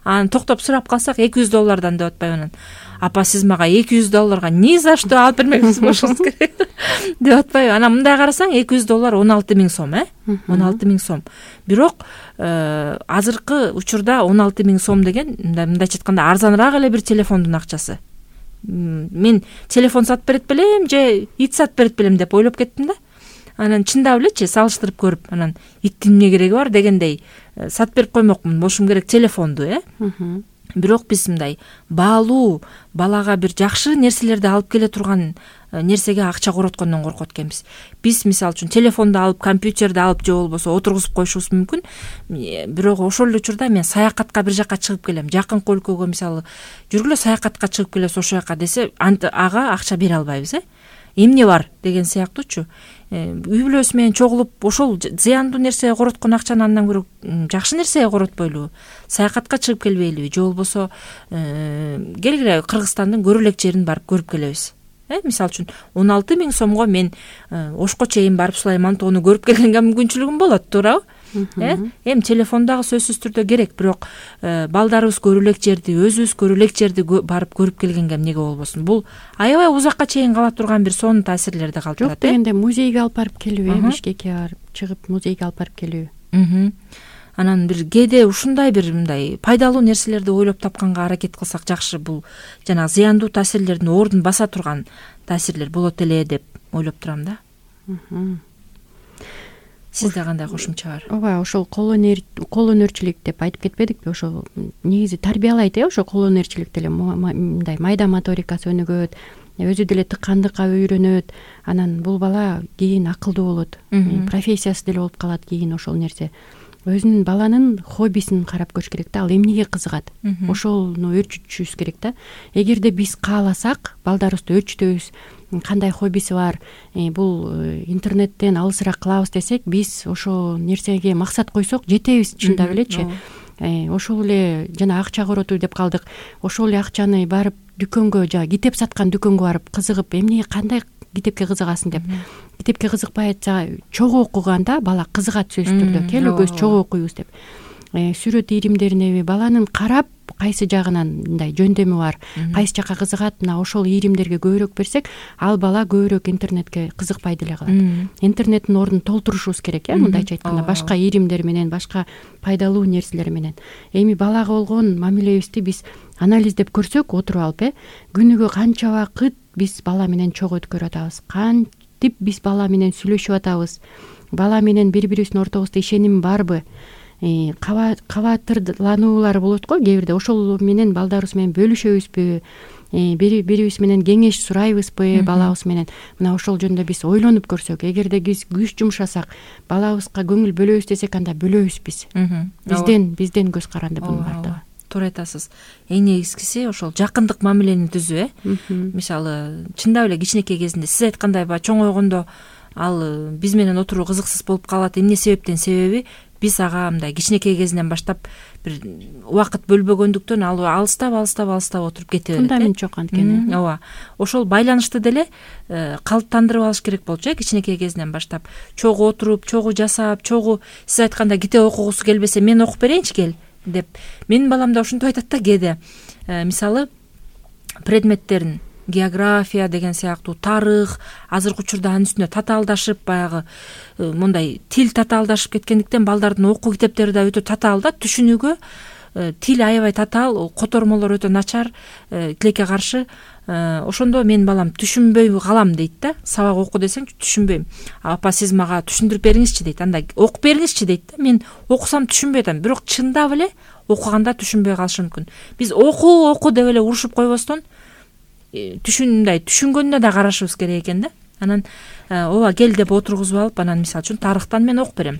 Speaker 2: Анан токтоп сурап калсак эки жүз доллардан деп атпайбы анан. Апа, сиз мага эки жүз долларга ни за что алып бермекчисиз болушуңуз керек. деп атпайбы? Анан мындай карасаң эки жүз доллар он алты миң сом, э? он алты миң сом. Бирок азыркы учурда он алты миң сом деген мындайча айтканда арзаныраак эле бир телефондун акчасы. Мен телефон сатып берет белем же ит сатып берет белем деп ойлоп кеттим да. Анан чындап элечи салыштырып көрүп, анан иттин эмне кереги бар дегендей сатып берип коймокмун. Бошум керек телефонду, э? Бирок биз мындай баалуу, балага бир жакшы нерселерди алып келе турган нерсеге акча короткондон коркот экенбиз. Биз мисалы үчүн телефонду алып, компьютерди алып же болбосо отургузуп коюшубуз мүмкүн. Бирок ошол эле учурда мен саякатка бир жакка чыгып келем, жакынкы өлкөгө мисалы жүргүлө саякатка чыгып келебиз ошол жака десе, ага акча бере албайбыз, э? Эмне бар деген сыяктуучу. Үй бүлөсү менен чогулуп ошол зыяндуу нерсеге короткон акчаны андан көрө жакшы нерсеге коротпойлубу? Саякатка чыгып келбейлиби же болбосо келгиле Кыргызстандын көрө элек жерин барып көрүп келебиз. Э, мисалы үчүн он алты миң сомго мен Ошко чейин барып Сулайман тоону көрүп келгенге мүмкүнчүлүгүм болот, туурабы? Э, эми телефон дагы сөзсүз түрдө керек, бирок балдарыбыз көрө элек жерди, өзүбүз көрө элек жерди барып көрүп келгенге эмнеге болбосун? Бул аябай узакка чейин кала турган бир сонун таасирлерди калтырат.
Speaker 3: Жок дегенде музейге алып барып келүү, э, Бишкекке барып чыгып музейге алып барып келүү.
Speaker 2: Анан бир кээде ушундай бир мындай пайдалуу нерселерди ойлоп тапканга аракет кылсак жакшы. Бул жанагы зыяндуу таасирлердин ордун баса турган таасирлер болот эле деп ойлоп турам да. Сизде кандай кошумча бар?
Speaker 3: Ооба, ошол кол өнөр кол өнөрчүлүк деп айтып кетпедикпи? Ошол негизи тарбиялайт, э, ошо кол өнөрчүлүк деле мындай майда моторикасы өнүгөт, өзү деле тыккандыкка үйрөнөт. Анан бул бала кийин акылдуу болот, профессиясы деле болуп калат кийин ошол нерсе. Өзүнүн баланын хоббисин карап көрүш керек да, ал эмнеге кызыгат, ошону өөрчүтүшүбүз керек да. Эгерде биз кааласак, балдарыбызды өөрчүтөбүз, кандай хоббиси бар, бул интернеттен алысыраак кылабыз десек, биз ошол нерсеге максат койсок жетебиз, чындап элечи. Ошол эле жана акча коротуу деп калдык. Ошол эле акчаны барып дүкөнгө, жана китеп саткан дүкөнгө барып кызыгып, эмне кандай китепке кызыгасың деп. Китепке кызыкпай атса, чогуу окуганда бала кызыгат сөзсүз түрдө. Келүүбүз чогуу окуйбуз деп. Сүрөт ийримдерине баланын карап кайсы жагынан мындай жөндөмү бар, кайсы жакка кызыгат, мына ошол ийримдерге көбүрөөк берсек, ал бала көбүрөөк интернетке кызыкпай деле калат. Интернеттин ордун толтурушубуз керек, э, мындайча айтканда, башка ийримдер менен, башка пайдалуу нерселер менен. Эми балага болгон мамилебизди биз анализдеп көрсөк, отуруп алып, э, күнүгө канча убакыт биз бала менен чогуу өткөрүп атабыз, кантип биз бала менен сүйлөшүп атабыз, бала менен бири-бирибиздин ортобузда ишеним барбы, кабатырлануулар болот го кээ бирде, ошол менен балдарыбыз менен бөлүшөбүзбү, бири бирибиз менен кеңеш сурайбызбы балабыз менен. Мына ошол жөнүндө биз ойлонуп көрсөк, эгерде биз күч жумшасак, балабызга көңүл бөлөбүз десек, анда бөлөбүз биз. Бизден бизден көз каранды бунун баардыгы.
Speaker 2: Туура айтасыз. Эң негизгиси ошол жакындык мамилени түзүү, э. Мисалы, чындап эле кичинекей кезинде сиз айткандай баягы чоңойгондо ал биз менен отуруу кызыксыз болуп калат. Эмне себептен? Себеби биз ага мындай кичинекей кезинен баштап бир убакыт бөлбөгөндүктөн ал алыстап алыстап алыстап отуруп кете берет.
Speaker 3: Фундамент жок анткени.
Speaker 2: Ооба. Ошол байланышты деле калыптандырып алыш керек болчу, э, кичинекей кезинен баштап. Чогуу отуруп, чогуу жасап, чогуу сиз айткандай китеп окугусу келбесе, мен окуп берейинчи кел деп. Менин балам да ушинтип айтат да кээде. Мисалы, предметтерин география деген сыяктуу, тарых, азыркы учурда анын үстүнө татаалдашып, баягы мындай тил татаалдашып кеткендиктен балдардын окуу китептери да өтө татаал да, түшүнүүгө тил аябай татаал, котормолор өтө начар, тилекке каршы. Ошондо менин балам түшүнбөй калам дейт да. Сабак оку десең түшүнбөйм. Апа, сиз мага түшүндүрүп бериңизчи дейт. Анда окуп бериңизчи дейт да. Мен окусам түшүнбөй атам, бирок чындап эле окуганда түшүнбөй калышы мүмкүн. Биз оку оку деп эле урушуп койбостон түшүндай түшүнгөнүнө да карашыбыз керек экен да. Анан ооба, кел деп отургузуп алып, анан мисалы үчүн тарыхтан мен окуп берем.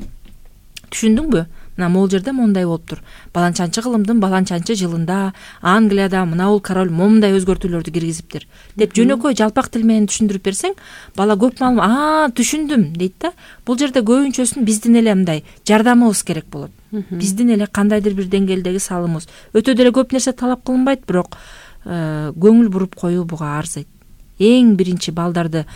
Speaker 2: Түшүндүңбү? Мына могул жерде мондай болуптур. Баланчанчы кылымдын баланчанчы жылында Англияда мына бул король момундай өзгөртүүлөрдү киргизиптир деп жөнөкөй жалпак тил менен түшүндүрүп берсең, бала көп маалым, а, түшүндүм дейт да. Бул жерде көбүнчөсүн биздин эле мындай жардамыбыз керек болот. Биздин эле кандайдыр бир деңгээлдеги салымыбыз. Өтө деле көп нерсе талап кылынбайт, бирок көңүл буруп коюу буга арзыйт. Эң биринчи балдарды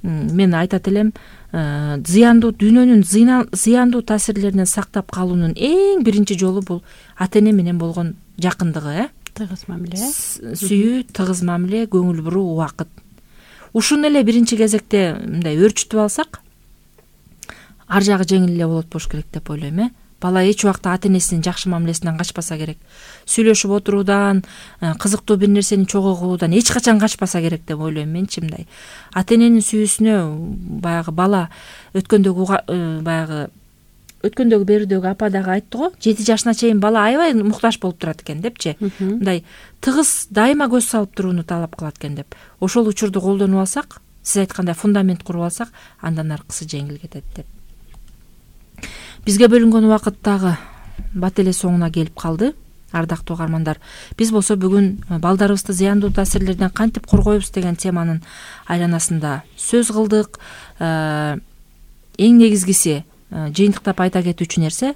Speaker 2: мен айтат элем, зыяндуу дүйнөнүн зыяндуу таасирлеринен сактап калуунун эң биринчи жолу бул ата эне менен болгон жакындыгы, э?
Speaker 3: Тыгыз мамиле.
Speaker 2: Сүйүү, тыгыз мамиле, көңүл буруу, убакыт. ушуну эле биринчи кезекте мындай өөрчүтүп алсак ар жагы жеңил эле болот болуш керек деп ойлойм. э Бала эч убакта ата энесинин жакшы мамилесинен качпаса керек. Сүйлөшүп отуруудан, кызыктуу бир нерсени чогуу кылуудан эч качан качпаса керек деп ойлойм менчи. Мындай ата эненин сүйүүсүнө баягы бала өткөндөгү баягы өткөндөгү берүүдөгү апа дагы айтты го, жети жашына чейин бала аябай муктаж болуп турат экен депчи. Мындай тыгыз дайыма көз салып турууну талап кылат экен деп. Ошол учурду колдонуп алсак, сиз айткандай фундамент куруп алсак, андан аркысы жеңил кетет деп. Бизге бөлүнгөн убакыт дагы бат эле соңуна келип калды. Ардактуу угармандар, биз болсо бүгүн балдарыбызды зыяндуу таасирлерден кантип коргойбуз деген теманын айланасында сөз кылдык. Эң негизгиси жыйынтыктап айта кетүүчү нерсе,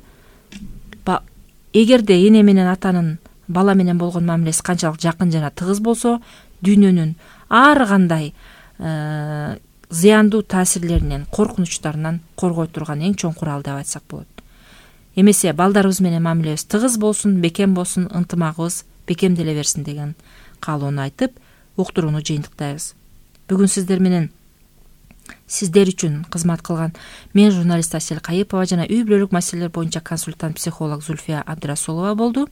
Speaker 2: эгерде эне менен атанын бала менен болгон мамилеси канчалык жакын жана тыгыз болсо, дүйнөнүн ар кандай зыяндуу таасирлеринен, коркунучтарынан коргой турган эң чоң курал деп айтсак болот. Эмесе балдарыбыз менен мамилебиз тыгыз болсун, бекем болсун, ынтымагыбыз бекемделе берсин деген каалоону айтып, уктурууну жыйынтыктайбыз. Бүгүн сиздер менен сиздер үчүн кызмат кылган мен журналист Асель Кайыпова жана үй бүлөлүк маселелер боюнча консультант психолог Зульфия Абдрасулова болду.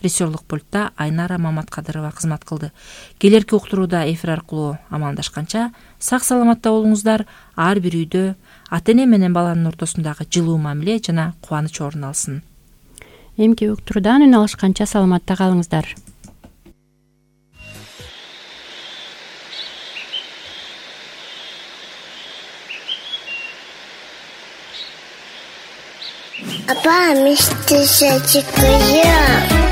Speaker 2: Режиссерлук пультта Айнара Маматкадырова кызмат кылды. Келерки уктурууда эфир аркылуу амандашканча сак саламатта болуңуздар. Ар бир үйдө ата эне менен баланын ортосундагы жылуу мамиле жана кубаныч орун алсын.
Speaker 3: Эмки уктуруудан үн алышканча саламатта калыңыздар.
Speaker 5: Апа, мистер Сачикая.